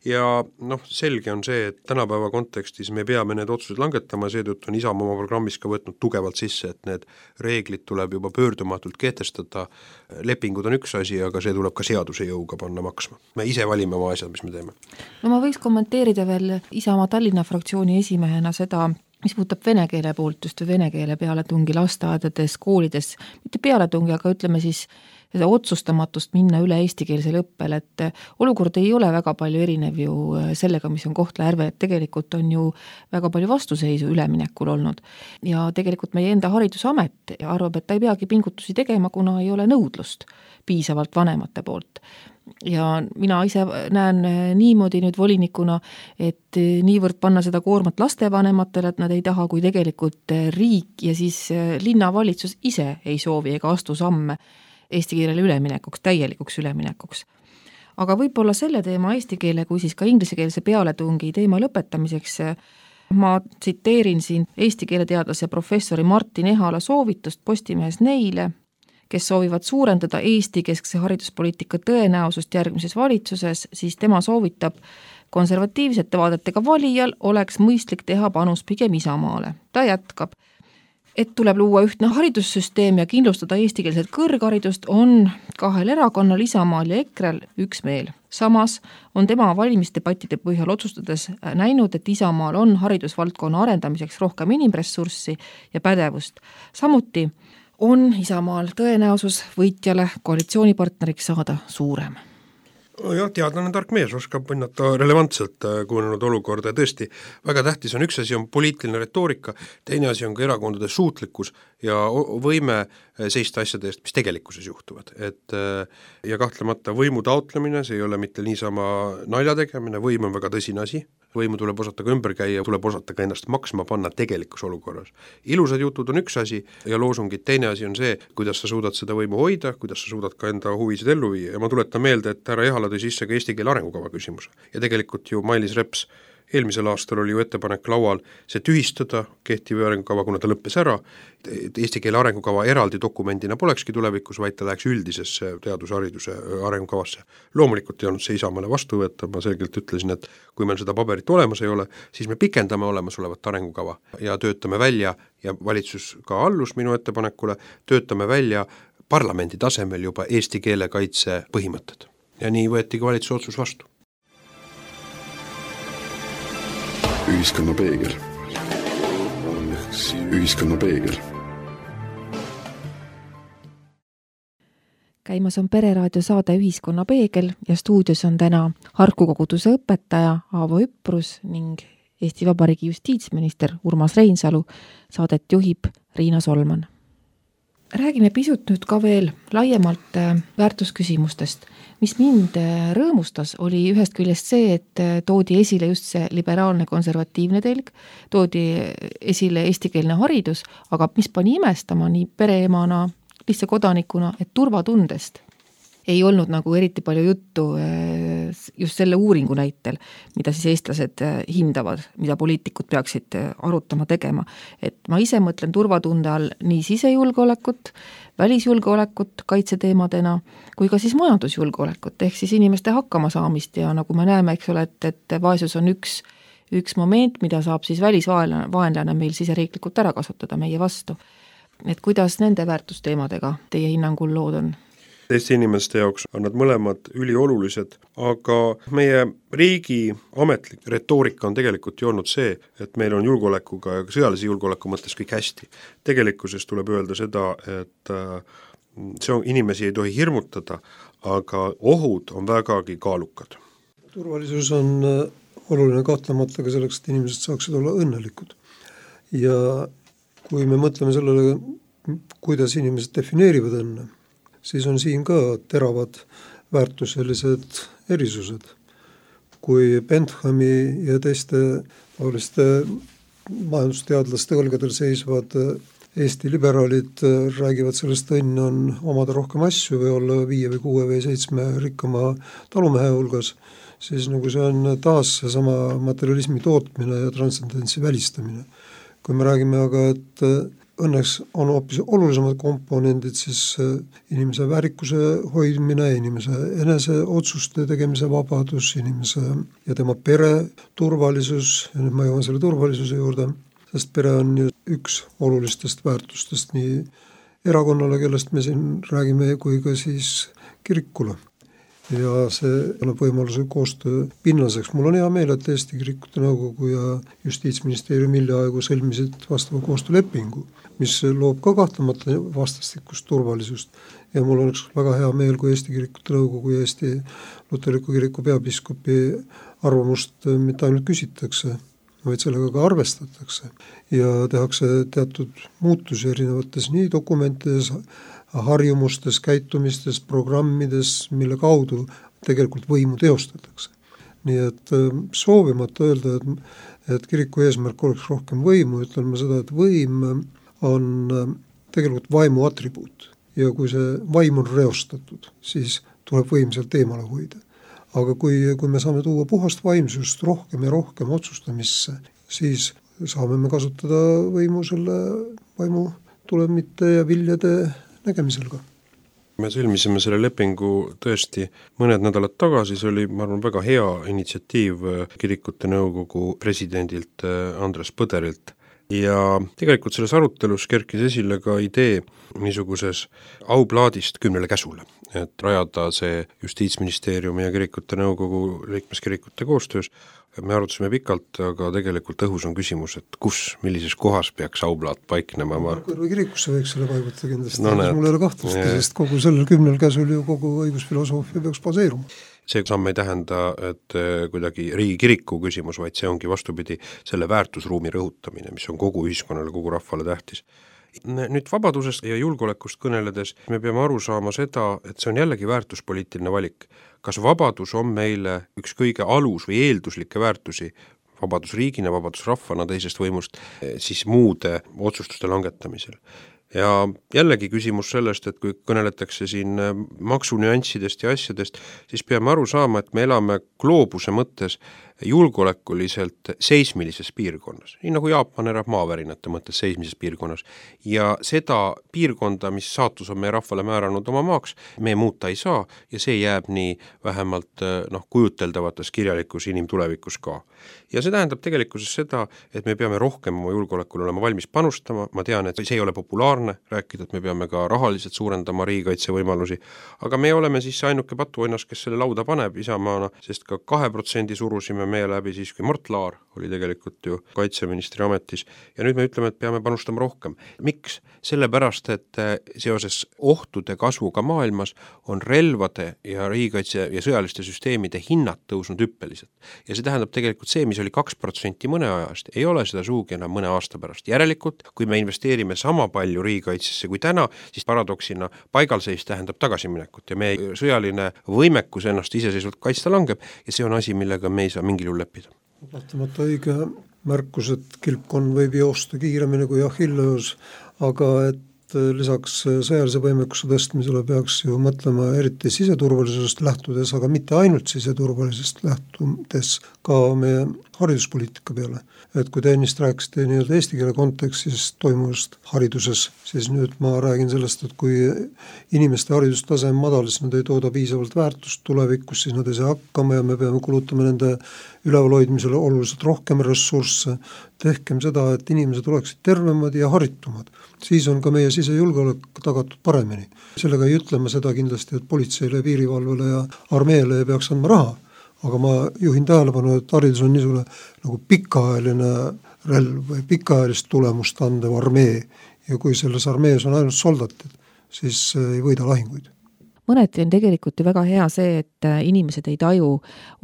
Ja selge on see, et tänapäeva kontekstis me peame need otsused langetama, seetõttu on Isamaa oma programmis ka võtnud tugevalt sisse, et need reeglid tuleb juba pöördumatult kehtestada. Lepingud on üks asi, aga see tuleb ka seaduse jõuga panna maksma. Me ise valime oma asjad, mis me teeme. No ma võiks kommenteerida veel Isamaa Tallinna fraktsiooni esimehena seda, mis puudutab vene keele poolt, just vene keele pealetungi lasteaedades, koolides, mitte pealetungi, aga ütleme siis seda otsustamatust minna üle eestikeelsele õppele, et olukord ei ole väga palju erinev ju sellega, mis on Kohtla-Järve, et tegelikult on ju väga palju vastuseisu üleminekul olnud. Ja tegelikult meie enda haridusamet arvab, et ta ei peagi pingutusi tegema, kuna ei ole nõudlust piisavalt vanemate poolt. Ja mina ise näen niimoodi nüüd volinikuna, et niivõrd panna seda koormat lastevanematele, et nad ei taha, kui tegelikult riik ja siis linnavalitsus ise ei soovi ega astu samme eesti keelele üleminekuks, täielikuks üleminekuks. Aga võib-olla selle teema eesti keele kui siis ka inglisekeelse pealetungi teema lõpetamiseks ma tsiteerin siin eesti keeleteadlase professori Martin Ehala soovitust Postimehes neile, kes soovivad suurendada Eesti keskse hariduspoliitika tõenäosust järgmises valitsuses, siis tema soovitab konservatiivsete vaadetega valijal oleks mõistlik teha panus pigem Isamaale. Ta jätkab, et tuleb luua ühtne haridussüsteem ja kindlustada eestikeelset kõrgharidust on kahel erakonnal Isamaal ja EKRE-l üksmeel. Samas on tema valimisdebattide põhjal otsustades näinud, et Isamaal on haridusvaldkonna arendamiseks rohkem inimressurssi ja pädevust. Samuti on Isamaal tõenäosus võitjale koalitsioonipartneriks saada suurem. Jah, teadlane tark mees oskab hinnata relevantselt kujunenud olukorda ja tõesti väga tähtis on üks asi on poliitiline retoorika, teine asi on ka erakondade suutlikkus ja võime seista asjade eest, mis tegelikkuses juhtuvad. Ja kahtlemata võimu taotlemine, see ei ole mitte niisama nalja tegemine, võim on väga tõsine asi, võimu tuleb osata ka ümber käia, tuleb osata ka ennast maksma panna tegelikus olukorras. Ilusad jutud on üks asi ja loosungid teine asi on see, kuidas sa suudad seda võimu hoida, kuidas sa suudad ka enda huvisid ellu viia ja ma tuletan meelde, et härra Ehala tõi sisse ka eesti keele arengukava küsimuse ja tegelikult ju Mailis Reps eelmisel aastal oli ju ettepanek laual see tühistada, kehtiv arengukava, kuna ta lõppes ära, eesti keele arengukava eraldi dokumendina polekski tulevikus, vaid ta läheks üldisesse teadushariduse arengukavasse. Loomulikult ei olnud see Isamaale vastu võtta, ma selgelt ütlesin, et kui meil seda paberit olemas ei ole, siis me pikendame olemasolevat arengukava ja töötame välja ja valitsus ka allus minu ettepanekule, töötame välja parlamendi tasemel juba eesti keele kaitse põhimõtted. Ja nii võeti ka valitsuse otsus vastu. Ühiskonna peegel. Ühiskonna peegel. Käimas on Pereraadio saade Ühiskonna peegel ja stuudios on täna Harku koguduse õpetaja Aavo Üprus ning Eesti Vabariigi justiitsminister Urmas Reinsalu. Saadet juhib Riina Solman. Räägime pisut nüüd ka veel laiemalt väärtusküsimustest. Mis mind rõõmustas, oli ühest küljest see, et toodi esile just see liberaalne konservatiivne telg, toodi esile eestikeelne haridus, aga mis pani imestama nii pereemana, lihtsa kodanikuna, et turvatundest ei olnud nagu eriti palju juttu just selle uuringu näitel, mida siis eestlased hindavad, mida poliitikud peaksid arutama tegema. Et ma ise mõtlen turvatunde all nii sisejulgeolekut, välisjulgeolekut kaitseteemadena, kui ka siis majandusjulgeolekut, ehk siis inimeste hakkama saamist ja nagu me näeme, eks ole, et vaesus on üks moment, mida saab siis välisvaenlane meil siseriiklikult ära kasutada meie vastu. Et kuidas nende väärtusteemadega teie hinnangul lood on? Eesti inimeste jaoks on nad mõlemad üliolulised, aga meie riigi ametlik retoorika on tegelikult ju olnud see, et meil on julgeolekuga ja sõjalise julgeoleku mõttes kõik hästi. Tegelikkuses tuleb öelda seda, et see on, inimesi ei tohi hirmutada, aga ohud on vägagi kaalukad. Turvalisus on oluline kahtlemata ka selleks, et inimesed saaksid olla õnnelikud. Ja kui me mõtleme sellele, kuidas inimesed defineerivad õnne, siis on siin ka teravad väärtuselised erisused. Kui Benthami ja teiste majandusteadlaste õlgadel seisvad Eesti liberaalid räägivad sellest, õnn on omada rohkem asju või olla 5 või 6 või 7 rikkama talumehe hulgas, siis nagu see on taas seesama materialismi tootmine ja transcendentsi välistamine. Kui me räägime aga, et õnneks on hoopis olulisemad komponendid, siis inimese väärikuse hoidmine, inimese enese otsuste tegemise vabadus, inimese ja tema pere turvalisus, ja nüüd ma jõuan selle turvalisuse juurde, sest pere on ju üks olulistest väärtustest nii erakonnale, kellest me siin räägime, kui ka siis kirikule. Ja see annab võimaluse koostöö pinnaseks. Mul on hea meel, et Eesti Kirikute Nõukogu ja Justiitsministeerium hiljaaegu sõlmisid vastava koostöölepingu, mis loob ka kahtlemata vastastikust turvalisust. Ja mul oleks väga hea meel, kui Eesti Kirikute Nõukogu ja Eesti Luteriku Kiriku peapiiskopi arvamust mitte ainult küsitakse, vaid sellega ka arvestatakse ja tehakse teatud muutusi erinevates nii dokumentides, harjumustes, käitumistes, programmides, mille kaudu tegelikult võimu teostatakse. Nii et soovimata öelda, et kiriku eesmärk oleks rohkem võimu, ütlen ma seda, et võim on tegelikult vaimu atribuut ja kui see vaim on reostatud, siis tuleb võim sealt eemale hoida. Aga kui me saame tuua puhast vaimsust rohkem ja rohkem otsustamisse, siis saame me kasutada võimu selle vaimu tulemite ja viljade nägemisel ka. Me sõlmisime selle lepingu tõesti mõned nädalad tagasi, see oli, ma arvan, väga hea initsiatiiv Kirikute Nõukogu presidendilt Andres Põderilt ja tegelikult selles arutelus kerkis esile ka idee niisuguses auplaadist 10 käsule, et rajada see Justiitsministeeriumi ja Kirikute Nõukogu liikmeskirikute koostöös. Me arutasime pikalt, aga tegelikult õhus on küsimus, et millises kohas peaks auplaat paiknema. Kõrva kirikusse võiks selle paigutada kindlasti, mul ei ole kahtlust, sest kogu sellel 10 käsul ju kogu õigusfilosoofia peaks baseeruma. See samm ei tähenda, et kuidagi riigikiriku küsimus, vaid see ongi vastupidi selle väärtusruumi rõhutamine, mis on kogu ühiskonnale, kogu rahvale tähtis. Nüüd vabadusest ja julgeolekust kõneledes me peame aru saama seda, et see on jällegi väärtuspoliitiline valik. Kas vabadus on meile üks kõige alus või eelduslikke väärtusi, vabadus riigina, vabadus rahvana teisest võimust, siis muude otsustuste langetamisel. Ja jällegi küsimus sellest, et kui kõneletakse siin maksunüanssidest ja asjadest, siis peame aru saama, et me elame gloobuse mõttes julgeolekuliselt seismilises piirkonnas, nii nagu Jaapan elab maavärinate mõttes seismises piirkonnas. Ja seda piirkonda, mis saatus on meie rahvale määranud oma maaks, me muuta ei saa ja see jääb nii vähemalt kujuteldavates kirjalikus inimtulevikus ka. Ja see tähendab tegelikkuses seda, et me peame rohkem oma julgeolekule olema valmis panustama, ma tean, et see ei ole populaarne rääkida, et me peame ka rahaliselt suurendama riigikaitse võimalusi, aga me oleme siis ainuke patuoinas, kes selle lauda paneb Isamaana, sest ka 2% surusime meie läbi siis, kui Mart Laar oli tegelikult ju kaitseministri ametis ja nüüd me ütleme, et peame panustama rohkem. Miks? Sellepärast, et seoses ohtude kasvuga maailmas on relvade ja riigikaitse ja sõjaliste süsteemide hinnad tõusnud hüppeliselt. Ja see tähendab tegelikult see, mis oli 2% mõne ajast, ei ole seda suugi enam mõne aasta pärast. Järelikult, kui me investeerime sama palju riigikaitsesse kui täna, siis paradoksina paigalseis tähendab tagasiminekut ja meie sõjaline võimekus ennast iseseisvalt kaitsta langeb ja see on asi, millega me ei saa mingil juhul leppida. Lahtamata õige märkus, et kilpkonn võib joosta kiiremini kui Achilleus, aga et lisaks sõjalise võimekuse tõstmisele peaks ju mõtlema eriti siseturvalisusest lähtudes, aga mitte ainult siseturvalisest lähtudes ka meie hariduspoliitika peale. Et kui te ennist rääkisite nii-öelda eesti keele kontekstis toimuvast hariduses, siis nüüd ma räägin sellest, et kui inimeste haridustase on madal, siis nad ei tooda piisavalt väärtust tulevikus, siis nad ei saa hakkama ja me peame kulutama nende ülevalhoidmisele oluliselt rohkem ressursse. Tehkem seda, et inimesed oleksid tervemad ja haritumad. Siis on ka meie sisejulgeolek tagatud paremini. Sellega ei ütlema seda kindlasti, et politseile, piirivalvele ja armeele ei peaks andma raha. Aga ma juhin tähelepanu, et haridus on niisugune nagu pikaajaline relv või pikaajalist tulemust andev armee ja kui selles armees on ainult soldatid, siis ei võida lahinguid. Mõneti on tegelikult ju väga hea see, et inimesed ei taju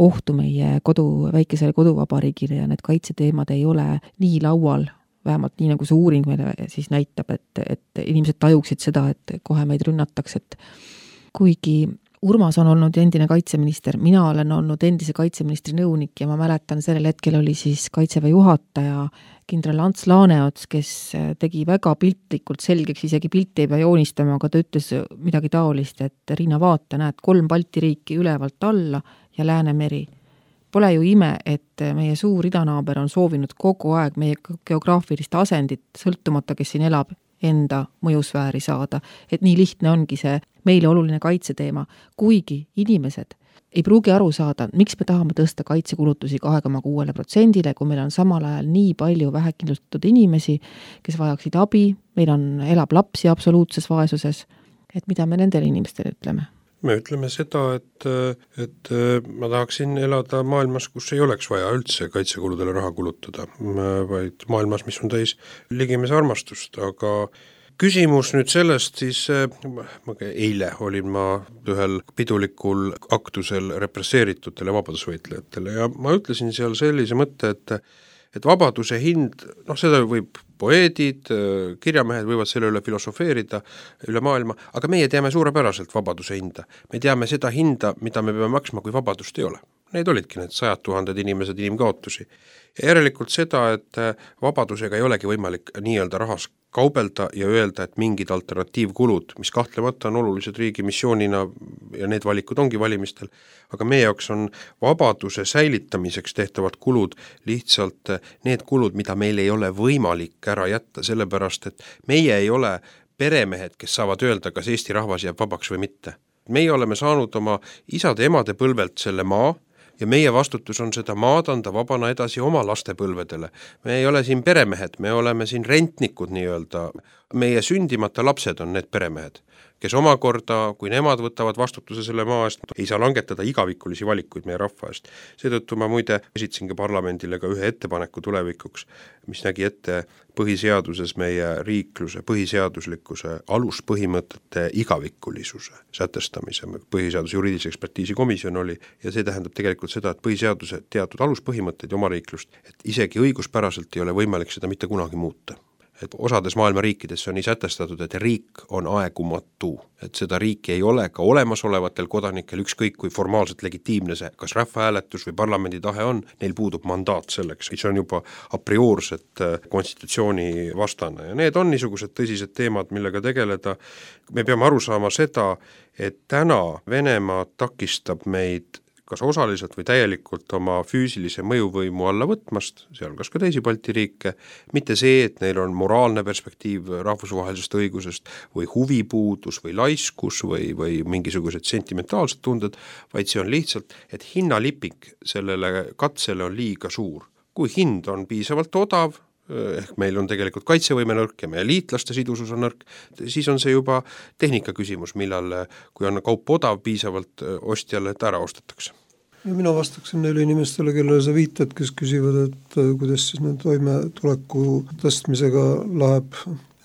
ohtu meie väikesele koduvabariigile ja need kaitseteemad ei ole nii laual, vähemalt nii nagu see uuring meile siis näitab, et inimesed tajuksid seda, et kohe meid rünnatakse, et kuigi Urmas on olnud endine kaitseminister, mina olen olnud endise kaitseministri nõunik ja ma mäletan, sellel hetkel oli siis kaitseväe juhataja kindral Ants Laaneots, kes tegi väga piltlikult selgeks, isegi pilti ei pea joonistama, aga ta ütles midagi taolist, et Riina vaata, näed 3 Balti riiki ülevalt alla ja Läänemeri. Pole ju ime, et meie suur idanaaber on soovinud kogu aeg meie geograafilist asendit, sõltumata, kes siin elab, enda mõjusfääri saada. Et nii lihtne ongi see meile oluline kaitseteema, kuigi inimesed ei pruugi aru saada, miks me tahame tõsta kaitsekulutusi 2,6%, kui meil on samal ajal nii palju vähekindlustatud inimesi, kes vajaksid abi, meil elab lapsi absoluutses vaesuses, et mida me nendele inimestele ütleme? Me ütleme seda, et ma tahaksin elada maailmas, kus ei oleks vaja üldse kaitsekuludele raha kulutada, vaid maailmas, mis on täis ligimese armastust, aga küsimus nüüd sellest siis, eile olin ma ühel pidulikul aktusel represseeritutele vabadusvõitlejatele ja ma ütlesin seal sellise mõtte, et vabaduse hind, seda võib poeedid, kirjamehed võivad selle üle filosofeerida üle maailma, aga meie teame suurepäraselt vabaduse hinda. Me teame seda hinda, mida me peame maksma, kui vabadust ei ole. Need olidki need 100 000 inimesed inimkaotusi. Ja järelikult seda, et vabadusega ei olegi võimalik nii-öelda rahas kaubelda ja öelda, et mingid alternatiivkulud, mis kahtlemata on olulised riigi missioonina ja need valikud ongi valimistel, aga meie jaoks on vabaduse säilitamiseks tehtavad kulud lihtsalt need kulud, mida meil ei ole võimalik ära jätta, sellepärast et meie ei ole peremehed, kes saavad öelda, kas Eesti rahvas jääb vabaks või mitte. Meie oleme saanud oma isade-emade põlvelt selle maa, ja meie vastutus on seda maad anda vabana edasi oma lastepõlvedele. Me ei ole siin peremehed, me oleme siin rentnikud nii-öelda. Meie sündimata lapsed on need peremehed, kes omakorda, kui nemad võtavad vastutuse selle maa eest, ei saa langetada igavikulisi valikuid meie rahva eest. Seetõttu ma muide esitasingi parlamendile ka ühe ettepaneku tulevikuks, mis nägi ette põhiseaduses meie riikluse, põhiseaduslikkuse aluspõhimõtete igavikulisuse sätestamise. Põhiseaduse juriidilise ekspertiisi komisjon oli ja see tähendab tegelikult seda, et põhiseaduse teatud aluspõhimõtteid ja oma riiklust, et isegi õiguspäraselt ei ole võimalik seda mitte kunagi muuta. Et osades maailma riikides on nii sätestatud, et riik on aegumatu, et seda riiki ei ole ka olemasolevatel kodanikel, ükskõik kui formaalselt legitiimne see, kas rahvahääletus või parlamendi tahe on, neil puudub mandaat selleks, mis on juba a priorset konstitutsiooni vastane ja need on niisugused tõsised teemad, millega tegeleda. Me peame aru saama seda, et täna Venemaa takistab meid kas osaliselt või täielikult oma füüsilise mõjuvõimu alla võtmast, sealhulgas ka teisi Balti riike, mitte see, et neil on moraalne perspektiiv rahvusvahelisest õigusest või huvipuudus või laiskus või mingisugused sentimentaalsed tunded, vaid see on lihtsalt, et hinnalipik sellele katsele on liiga suur. Kui hind on piisavalt odav, ehk meil on tegelikult kaitsevõime nõrk ja meie liitlaste sidusus on nõrk, siis on see juba tehnika küsimus, millal, kui on kaup odav piisavalt ostjale, et ära ostetakse. Ja mina vastaksin neile inimestele, kellele sa viitad, kes küsivad, et kuidas siis need toimetuleku tõstmisega läheb,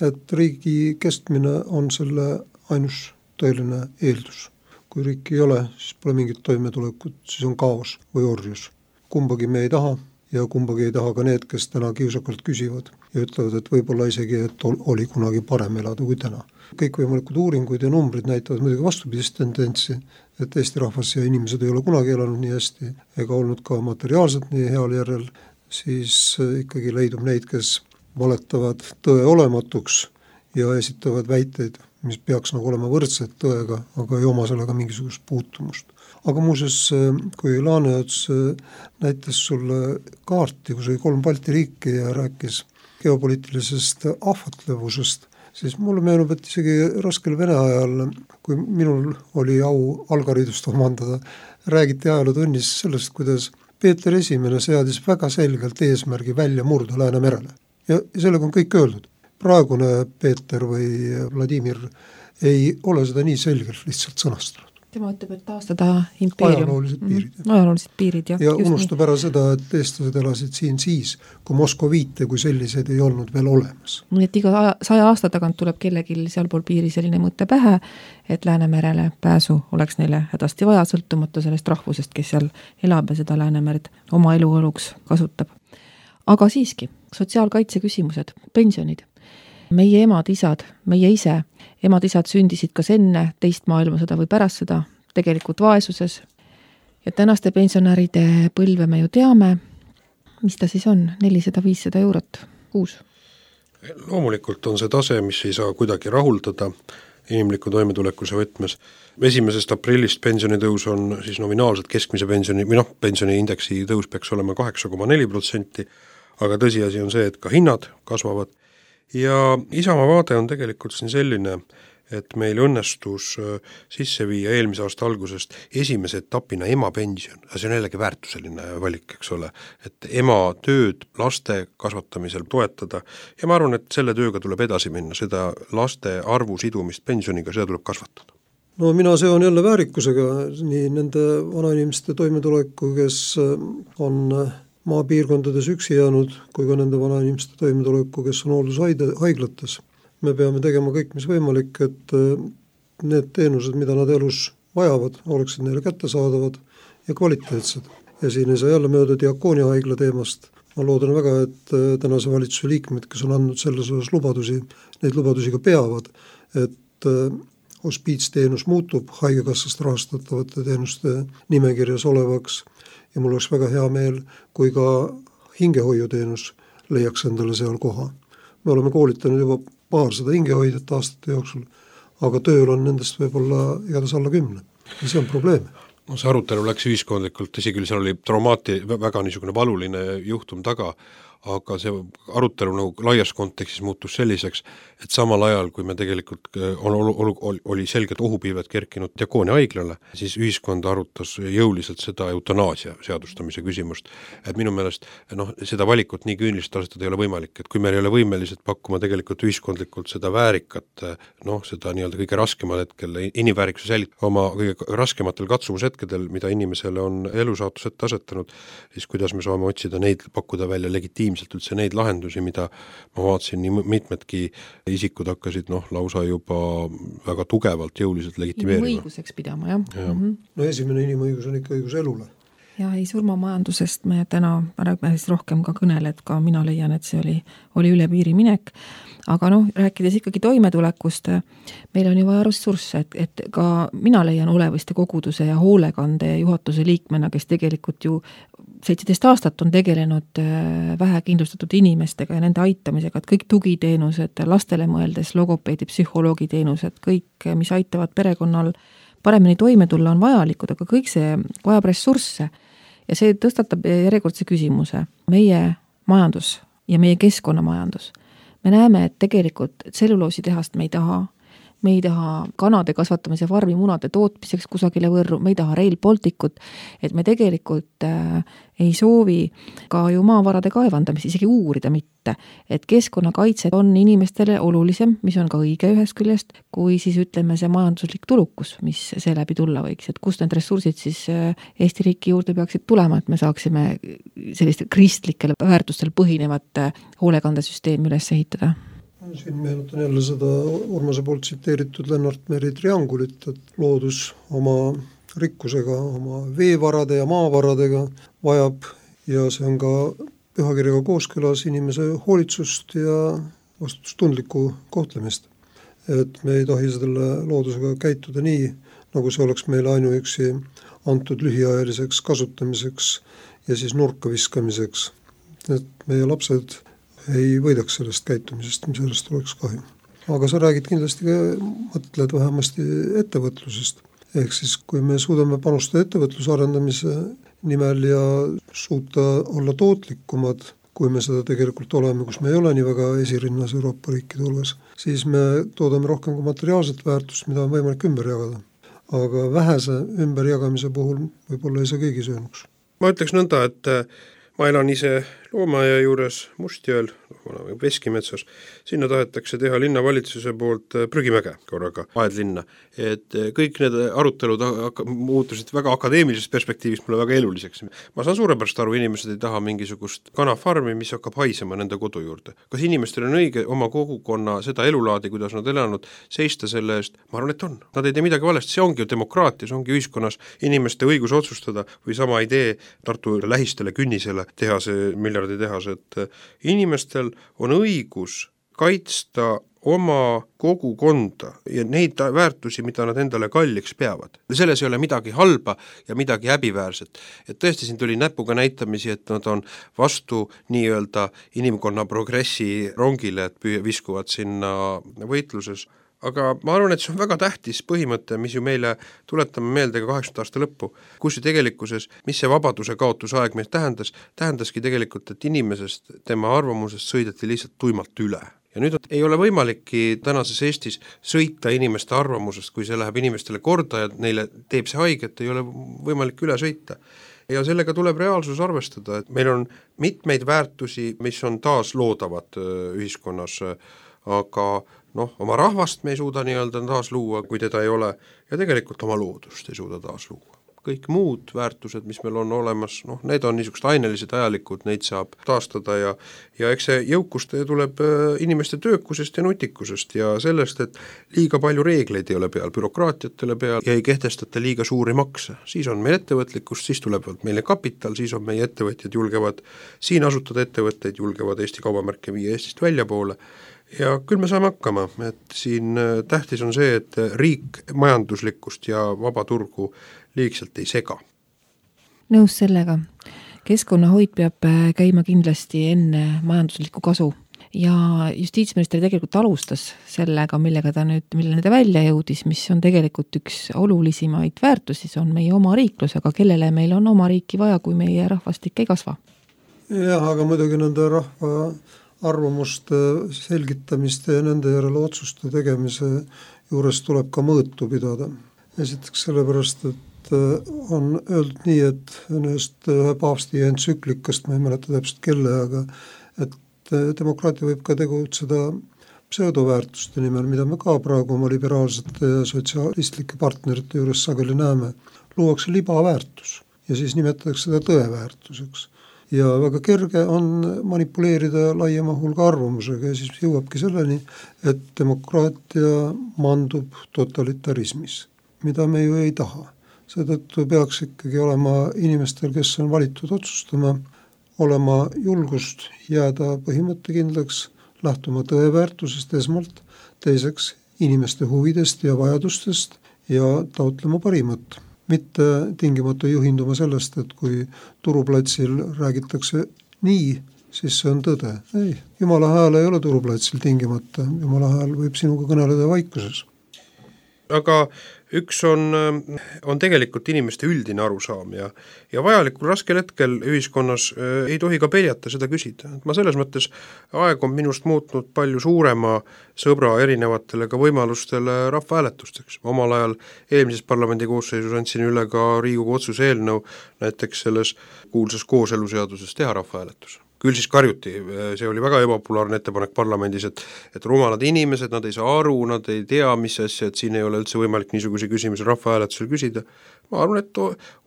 et riigi kestmine on selle ainus tõeline eeldus. Kui riiki ei ole, siis pole mingit toimetulekut, siis on kaos või orjus. Kumbagi me ei taha. Ja kumbagi ei taha ka need, kes täna kiusakalt küsivad ja ütlevad, et võib-olla isegi, et oli kunagi parem elada kui täna. Kõik võimalikud uuringud ja numbrid näitavad muidugi vastupidist tendentsi, et Eesti rahvas ja inimesed ei ole kunagi elanud nii hästi ega olnud ka materiaalselt nii heal järjel, siis ikkagi leidub neid, kes valetavad tõe olematuks ja esitavad väiteid, mis peaks nagu olema võrdsed tõega, aga ei oma sellega mingisugust puutumust. Aga muuseas, kui Laaneots näitas sulle kaarti, kus oli 3 Balti riiki ja rääkis geopoliitilisest ahvatlevusest, siis mulle meenub, et isegi raskel Vene ajal, kui minul oli au algaridust omandada, räägiti ajalootunnis sellest, kuidas Peeter I seadis väga selgelt eesmärgi välja murda Läänemerele. Ja sellega on kõik öeldud. Praegune Peeter või Vladimir ei ole seda nii selgelt lihtsalt sõnastanud. Tema ütleb, et taastada impeerium. Ajaloolised piirid. Ja unustab ära seda, et eestlased elasid siin siis, kui Moskoviite kui sellised ei olnud veel olemas. Nii et iga 100 aasta tagant tuleb kellegil sealpool piiri selline mõte pähe, et Läänemerele pääsu oleks neile hädasti vaja, sõltumata sellest rahvusest, kes seal elab ja seda Läänemerd oma eluoluks kasutab. Aga siiski, sotsiaalkaitse küsimused, pensionid. Meie emad-isad, meie ise, emad-isad sündisid kas enne teist maailmasõda või pärast seda, tegelikult vaesuses. Ja tänaste pensionäride põlve me ju teame, mis ta siis on, 400-500 eurot kuus. Loomulikult on see tase, mis ei saa kuidagi rahuldada. inimliku toimetulekuse võtmes. 1. aprillist pensionitõus on siis nominaalselt keskmise pensioni või pensioniindeksi tõus peaks olema 8,4%, aga tõsiasi on see, et ka hinnad kasvavad ja Isamaa vaade on tegelikult siin selline, et meil õnnestus sisse viia eelmise aasta algusest esimese etapina emapension, see on jällegi väärtuseline valik, eks ole, et ema tööd laste kasvatamisel toetada ja ma arvan, et selle tööga tuleb edasi minna, seda laste arvu sidumist pensioniga, seda tuleb kasvatada. No mina seon jälle väärikusega nii nende vanainimeste toimetuleku, kes on maapiirkondades üksi jäänud, kui ka nende vanainimeste toimetuleku, kes on hooldushaiglates. Me peame tegema kõik, mis võimalik, et need teenused, mida nad elus vajavad, oleksid neile kättesaadavad ja kvaliteetsed. Ja siin ei saa jälle mööda Diakonia haigla teemast. Ma loodan väga, et tänase valitsuse liikmed, kes on andnud selles osas lubadusi, neid lubadusi ka peavad, et hospiitsteenus muutub haigekassast rahastatavate teenuste nimekirjas olevaks ja mul oleks väga hea meel, kui ka hingehoiuteenus leiaks endale seal koha. Me oleme koolitanud juba paarsada hingehoidjat aastate jooksul, aga tööl on nendest võib-olla igatahes alla 10. Ja see on probleem. No see arutelu läks ühiskondlikult, tõsi küll, seal oli väga niisugune valuline juhtum taga, aga see arutelu nagu laias kontekstis muutus selliseks, et samal ajal, kui me tegelikult oli selgelt ohupilved kerkinud Diakonia haiglale, siis ühiskond arutas jõuliselt seda eutanaasia seadustamise küsimust. Et minu meelest seda valikut nii küünlist asetada ei ole võimalik, et kui meil ei ole võimelised pakkuma tegelikult ühiskondlikult seda väärikat, seda nii-öelda kõige raskemal hetkel, inimväärikuse säilitada oma kõige raskematel katsumushetkedel, mida inimesele on elusaatus ette asetanud, siis kuidas me saame otsida neid, pakkuda välja legitiimselt üldse neid lahendusi, mida ma vaatasin, nii mitmedki isikud hakkasid lausa juba väga tugevalt jõuliselt legitimeerima. Inimõiguseks pidama, jah. No esimene inimõigus on ikka õigus elule. Ja ei, surmamajandusest me täna rohkem ka kõnele, et ka mina leian, et see oli üle piiri minek. Aga rääkides ikkagi toimetulekust, meil on ju vaja ressursse, et ka mina leian Oleviste koguduse ja hoolekande juhatuse liikmena, kes tegelikult ju 17 aastat on tegelenud vähekindlustatud inimestega ja nende aitamisega, et kõik tugiteenused, lastele mõeldes, logopeedi, psühholoogiteenused, kõik, mis aitavad perekonnal paremini toime tulla, on vajalikud, aga kõik see vajab ressursse ja see tõstatab järjekordse küsimuse. Meie majandus ja meie keskkonnamajandus. Me näeme, et tegelikult tselluloositehast me ei taha kanade kasvatamise farmi munade tootmiseks kusagile Võrru, me ei taha Rail Balticut, et me tegelikult ei soovi ka ju maavarade kaevandamist isegi uurida mitte, et keskkonnakaitse on inimestele olulisem, mis on ka õige ühest küljest, kui siis ütleme see majanduslik tulukus, mis seeläbi tulla võiks, et kust need ressursid siis Eesti riiki juurde peaksid tulema, et me saaksime selliste kristlikele väärtustel põhinevat hoolekandesüsteemi üles ehitada. Siin meenutan jälle seda Urmase poolt tsiteeritud Lennart Meri triangulit, et loodus oma rikkusega, oma veevarade ja maavaradega vajab ja see on ka pühakirjaga kooskõlas inimese hoolitsust ja vastutustundlikku kohtlemist. Et me ei tohi selle loodusega käituda nii, nagu see oleks meile ainuüksi antud lühiajaliseks kasutamiseks ja siis nurka viskamiseks. Et meie lapsed ei võidaks sellest käitumisest, mis sellest oleks kahju. Aga sa räägid kindlasti ka, mõtled vähemasti ettevõtlusest. Ehk siis, kui me suudame panustada ettevõtluse arendamise nimel ja suuta olla tootlikumad, kui me seda tegelikult oleme, kus me ei ole nii väga esirinnas Euroopa riikide hulgas, siis me toodame rohkem ka materiaalset väärtust, mida on võimalik ümber jagada. Aga vähese ümberjagamise puhul võib-olla ei saa keegi söönuks. Ma ütleks nõnda, et ma elan ise Loomaaia juures Mustjõel, Veskimetsas, sinna tahetakse teha linnavalitsuse poolt prügimäge korraga, aedlinna. Et kõik need arutelud muutusid väga akadeemilisest perspektiivist mulle väga eluliseks. Ma saan suurepärast aru, inimesed ei taha mingisugust kanafarmi, mis hakkab haisema nende kodu juurde. Kas inimestel on õige oma kogukonna seda elulaadi, kuidas nad elanud, seista selle eest? Ma arvan, et on. Nad ei tee midagi valesti, see ongi ju demokraatia, see ongi ühiskonnas inimeste õigus otsustada või sama idee Tartu lähistele künnisele teha see miljarditehas, et inimestel on õigus kaitsta oma kogukonda ja neid väärtusi, mida nad endale kalliks peavad. Selles ei ole midagi halba ja midagi häbiväärset. Et tõesti siin tuli näpuga näitamisi, et nad on vastu nii-öelda inimkonna progressi rongile, et viskuvad sinna võitluses. aga ma arvan, et see on väga tähtis põhimõte, mis ju meile tuletame meelde ka 80 aasta lõppu, kus ju tegelikkuses, mis see vabaduse kaotuse aeg meil tähendaski tegelikult, et inimesest, tema arvamusest sõideti lihtsalt tuimalt üle. Ja nüüd ei ole võimalikki tänases Eestis sõita inimeste arvamusest, kui see läheb inimestele korda ja neile teeb see haiget, ei ole võimalik üle sõita. Ja sellega tuleb reaalsus arvestada, et meil on mitmeid väärtusi, mis on taas loodavad ühiskonnas, aga oma rahvast me ei suuda nii-öelda taas luua, kui teda ei ole, ja tegelikult oma loodust ei suuda taas luua. Kõik muud väärtused, mis meil on olemas, need on niisugused ainelised ajalikud, neid saab taastada ja eks see jõukust tuleb inimeste töökusest ja nutikusest ja sellest, et liiga palju reegleid ei ole peal, bürokraatiatele peal ja ei kehtestata liiga suuri makse. Siis on meil ettevõtlikkust, siis tuleb meile kapital, siis on meie ettevõtjad julgevad siin asutada ettevõtteid, julgevad Eesti kaubamärke viia Eestist väljapoole. Ja küll me saame hakkama, et siin tähtis on see, et riik majanduslikkust ja vaba turgu liigselt ei sega. Nõus sellega. Keskkonnahoid peab käima kindlasti enne majanduslikku kasu ja justiitsminister tegelikult alustas sellega, millele ta välja jõudis, mis on tegelikult üks olulisemaid väärtusi, see on meie oma riiklus, aga kellele meil on oma riiki vaja, kui meie rahvastik ei kasva? Jah, aga muidugi nende rahva arvamuste selgitamist ja nende järele otsuste tegemise juures tuleb ka mõõtu pidada. Esiteks sellepärast, et on öeldud nii, et ühe paavsti entsüklikast, ma ei mäleta täpselt kelle, aga et demokraatia võib ka tegutseda pseudoväärtuste nimel, mida me ka praegu oma liberaalsete ja sotsialistlike partnerite juures sageli näeme. Luuakse libaväärtus ja siis nimetatakse seda tõeväärtuseks. Ja väga kerge on manipuleerida laiema hulga arvamusega ja siis jõuabki selleni, et demokraatia mandub totalitarismis, mida me ju ei taha. Seetõttu peaks ikkagi olema inimestel, kes on valitud otsustama, olema julgust jääda põhimõttekindlaks, lähtuma tõeväärtusest esmalt, teiseks inimeste huvidest ja vajadustest ja taotlema parimat. Mitte tingimata juhinduma sellest, et kui turuplatsil räägitakse nii, siis see on tõde. Ei, Jumala hääl ei ole turuplatsil tingimata, Jumala hääl võib sinuga kõneleda vaikuses. Aga üks on tegelikult inimeste üldine arusaam ja vajalikul raskel hetkel ühiskonnas ei tohi ka peljata seda küsida. Ma selles mõttes aeg on minust muutnud palju suurema sõbra erinevatele ka võimalustele rahvahääletusteks. Omal ajal eelmises parlamendi koosseisus andsin üle ka Riigikogu otsuse eelnõu näiteks selles kuulsas kooseluseaduses teha rahvahääletus. Küll siis karjuti, see oli väga ebapopulaarne ettepanek parlamendis, et rumalad inimesed, nad ei saa aru, nad ei tea, mis asja, et siin ei ole üldse võimalik niisuguse küsimusi rahvahääletusel küsida. Ma arvan, et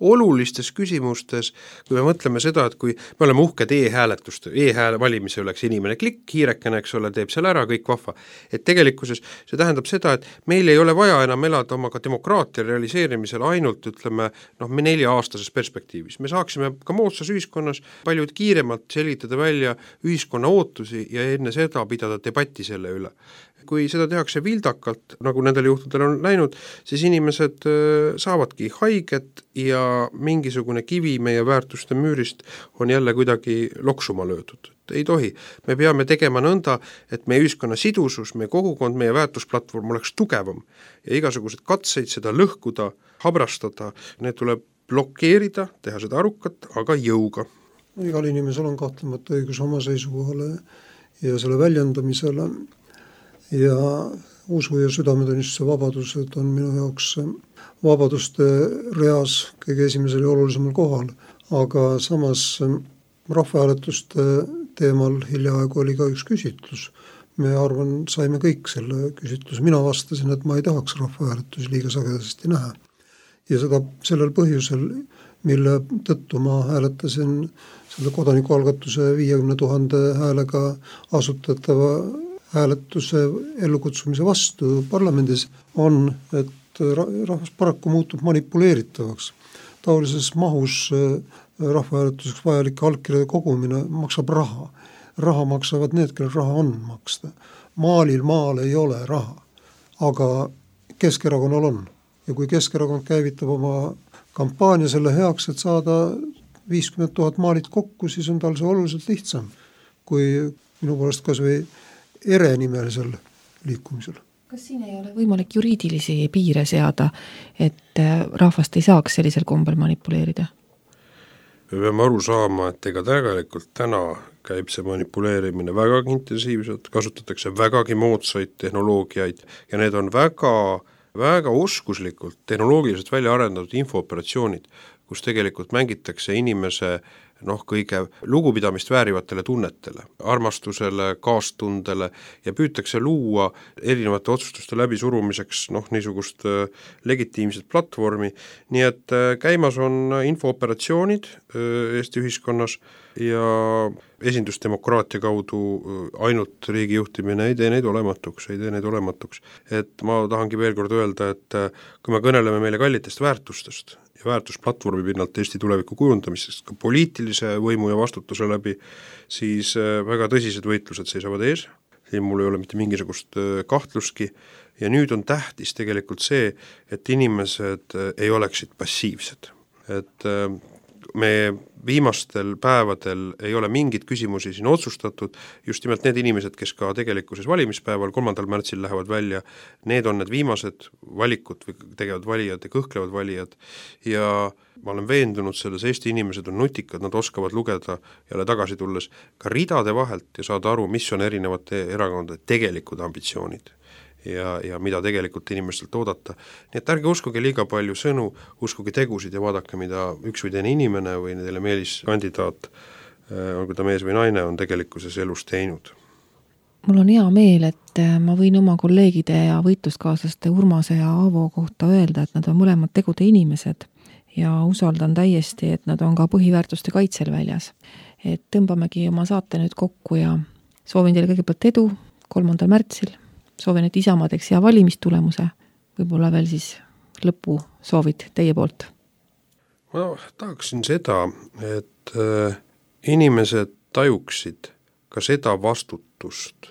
olulistes küsimustes, kui me mõtleme seda, et kui me oleme uhked e-hääletuste, e-hääle valimise oleks inimene klikk, hiirekene, eks ole, teeb selle ära, kõik vahva. Et tegelikkuses see tähendab seda, et meil ei ole vaja enam elada oma ka demokraatia realiseerimisel ainult, ütleme, me 4-aastases perspektiivis. Me saaksime ka moodsas ühiskonnas palju kiiremalt selgitada välja ühiskonna ootusi ja enne seda pidada debatti selle üle. Kui seda tehakse vildakalt, nagu nendel juhtudel on läinud, siis inimesed saavadki haiget ja mingisugune kivi meie väärtuste müürist on jälle kuidagi loksuma löödud. Ei tohi. Me peame tegema nõnda, et meie ühiskonna sidusus, meie kogukond, meie väärtusplatvorm oleks tugevam ja igasugused katseid seda lõhkuda, habrastada, need tuleb blokeerida, teha seda arukat, aga jõuga. Igal inimesel on kahtlemata õigus oma seisukohale ja selle väljendamisele ja usu ja südametunnistuse vabadused on minu jaoks vabaduste reas kõige esimesel ja olulisemal kohal, aga samas rahvahääletuste teemal hiljaaegu oli ka üks küsitlus. Me arvan, saime kõik selle küsitluse. Mina vastasin, et ma ei tahaks rahvahääletusi liiga sagedasti näha. Ja seda sellel põhjusel, mille tõttu ma hääletasin selle kodanikualgatuse 50 000 häälega asutatava hääletuse ellukutsumise vastu parlamendis on, et rahvas paraku muutub manipuleeritavaks. Taolises mahus rahvahääletuseks vajalike allkirjade kogumine maksab raha. Raha maksavad need, kellel raha on maksta. Maal ei ole raha, aga Keskerakonnal on. Ja kui Keskerakond käivitab oma kampaania selle heaks, et saada 50 000 maalit kokku, siis on tal see oluliselt lihtsam kui minu poolest kas või ere nimelisel liikumisel. Kas siin ei ole võimalik juriidilisi piire seada, et rahvast ei saaks sellisel kombel manipuleerida? Me peame aru saama, et ega tegelikult täna käib see manipuleerimine vägagi intensiivselt, kasutatakse vägagi moodsaid tehnoloogiaid ja need on väga oskuslikult tehnoloogiliselt välja arendatud infooperatsioonid, kus tegelikult mängitakse inimese kõige lugupidamist väärivatele tunnetele, armastusele, kaastundele ja püütakse luua erinevate otsustuste läbisurumiseks niisugust legitiimset platvormi, nii et käimas on infooperatsioonid Eesti ühiskonnas ja esindusdemokraatia kaudu ainult riigi juhtimine ei tee neid olematuks. Et ma tahangi veel kord öelda, et kui me kõneleme meile kallitest väärtustest ja väärtusplatvormi pinnalt Eesti tuleviku kujundamisest ka poliitilise võimu ja vastutuse läbi, siis väga tõsised võitlused seisavad ees, siin mul ei ole mitte mingisugust kahtlustki ja nüüd on tähtis tegelikult see, et inimesed ei oleksid passiivsed, et me viimastel päevadel ei ole mingid küsimusi siin otsustatud, just nimelt need inimesed, kes ka tegelikkuses valimispäeval 3. märtsil lähevad välja, need on need viimased valikud või tegevad valijad ja kõhklevad valijad ja ma olen veendunud selles, Eesti inimesed on nutikad, nad oskavad lugeda jälle tagasi tulles ka ridade vahelt ja saada aru, mis on erinevate erakondade tegelikud ambitsioonid. Ja mida tegelikult inimestelt oodata. Nii et ärge uskuge liiga palju sõnu, uskuge tegusid ja vaadake, mida üks või teine inimene või teile meeliskandidaat, olgu ta mees või naine, on tegelikkuses elus teinud. Mul on hea meel, et ma võin oma kolleegide ja võitluskaaslaste Urmase ja Aavo kohta öelda, et nad on mõlemad tegude inimesed ja usaldan täiesti, et nad on ka põhiväärtuste kaitsel väljas. Et tõmbamegi oma saate nüüd kokku ja soovin teile kõigepealt edu 3. märtsil. Soovin, et Isamaa teeks hea valimistulemuse, võib-olla veel siis lõpu soovid teie poolt. Ma tahaksin seda, et inimesed tajuksid ka seda vastutust,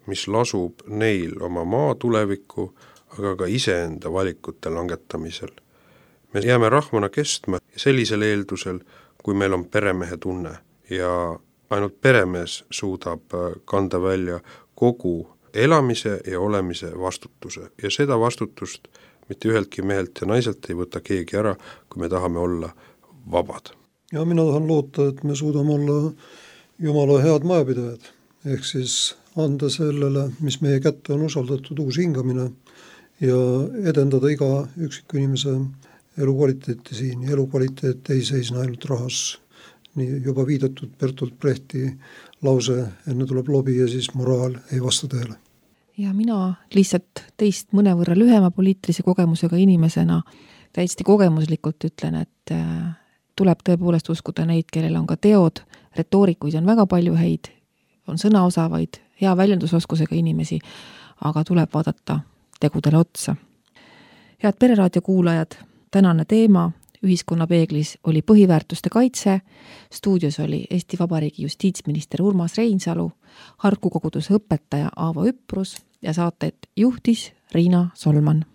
mis lasub neil oma maa tuleviku, aga ka iseenda valikute langetamisel. Me jääme rahvana kestma sellisel eeldusel, kui meil on peremehe tunne ja ainult peremees suudab kanda välja kogu elamise ja olemise vastutuse ja seda vastutust mitte üheltki mehelt ja naiselt ei võta keegi ära, kui me tahame olla vabad. Ja mina tahan loota, et me suudame olla Jumala head majapidajad, ehk siis anda sellele, mis meie kätte on usaldatud, uus hingamine ja edendada iga üksiku inimese elukvaliteeti siin. Elukvaliteet ei seisne ainult rahas, nii juba viidatud Bertolt Brechti lause, enne tuleb lobi ja siis moraal ei vasta tõele. Ja mina lihtsalt teist mõnevõrra lühema poliitilise kogemusega inimesena täiesti kogemuslikult ütlen, et tuleb tõepoolest uskuda neid, kellel on ka teod, retoorikuid on väga palju häid, on sõnaosavaid, hea väljendusoskusega inimesi, aga tuleb vaadata tegudele otsa. Head Pereraadio kuulajad, tänane teema Ühiskonna peeglis oli põhiväärtuste kaitse, stuudios oli Eesti Vabariigi justiitsminister Urmas Reinsalu, Harku koguduse õpetaja Aavo Üprus ja saatet juhtis Riina Solman.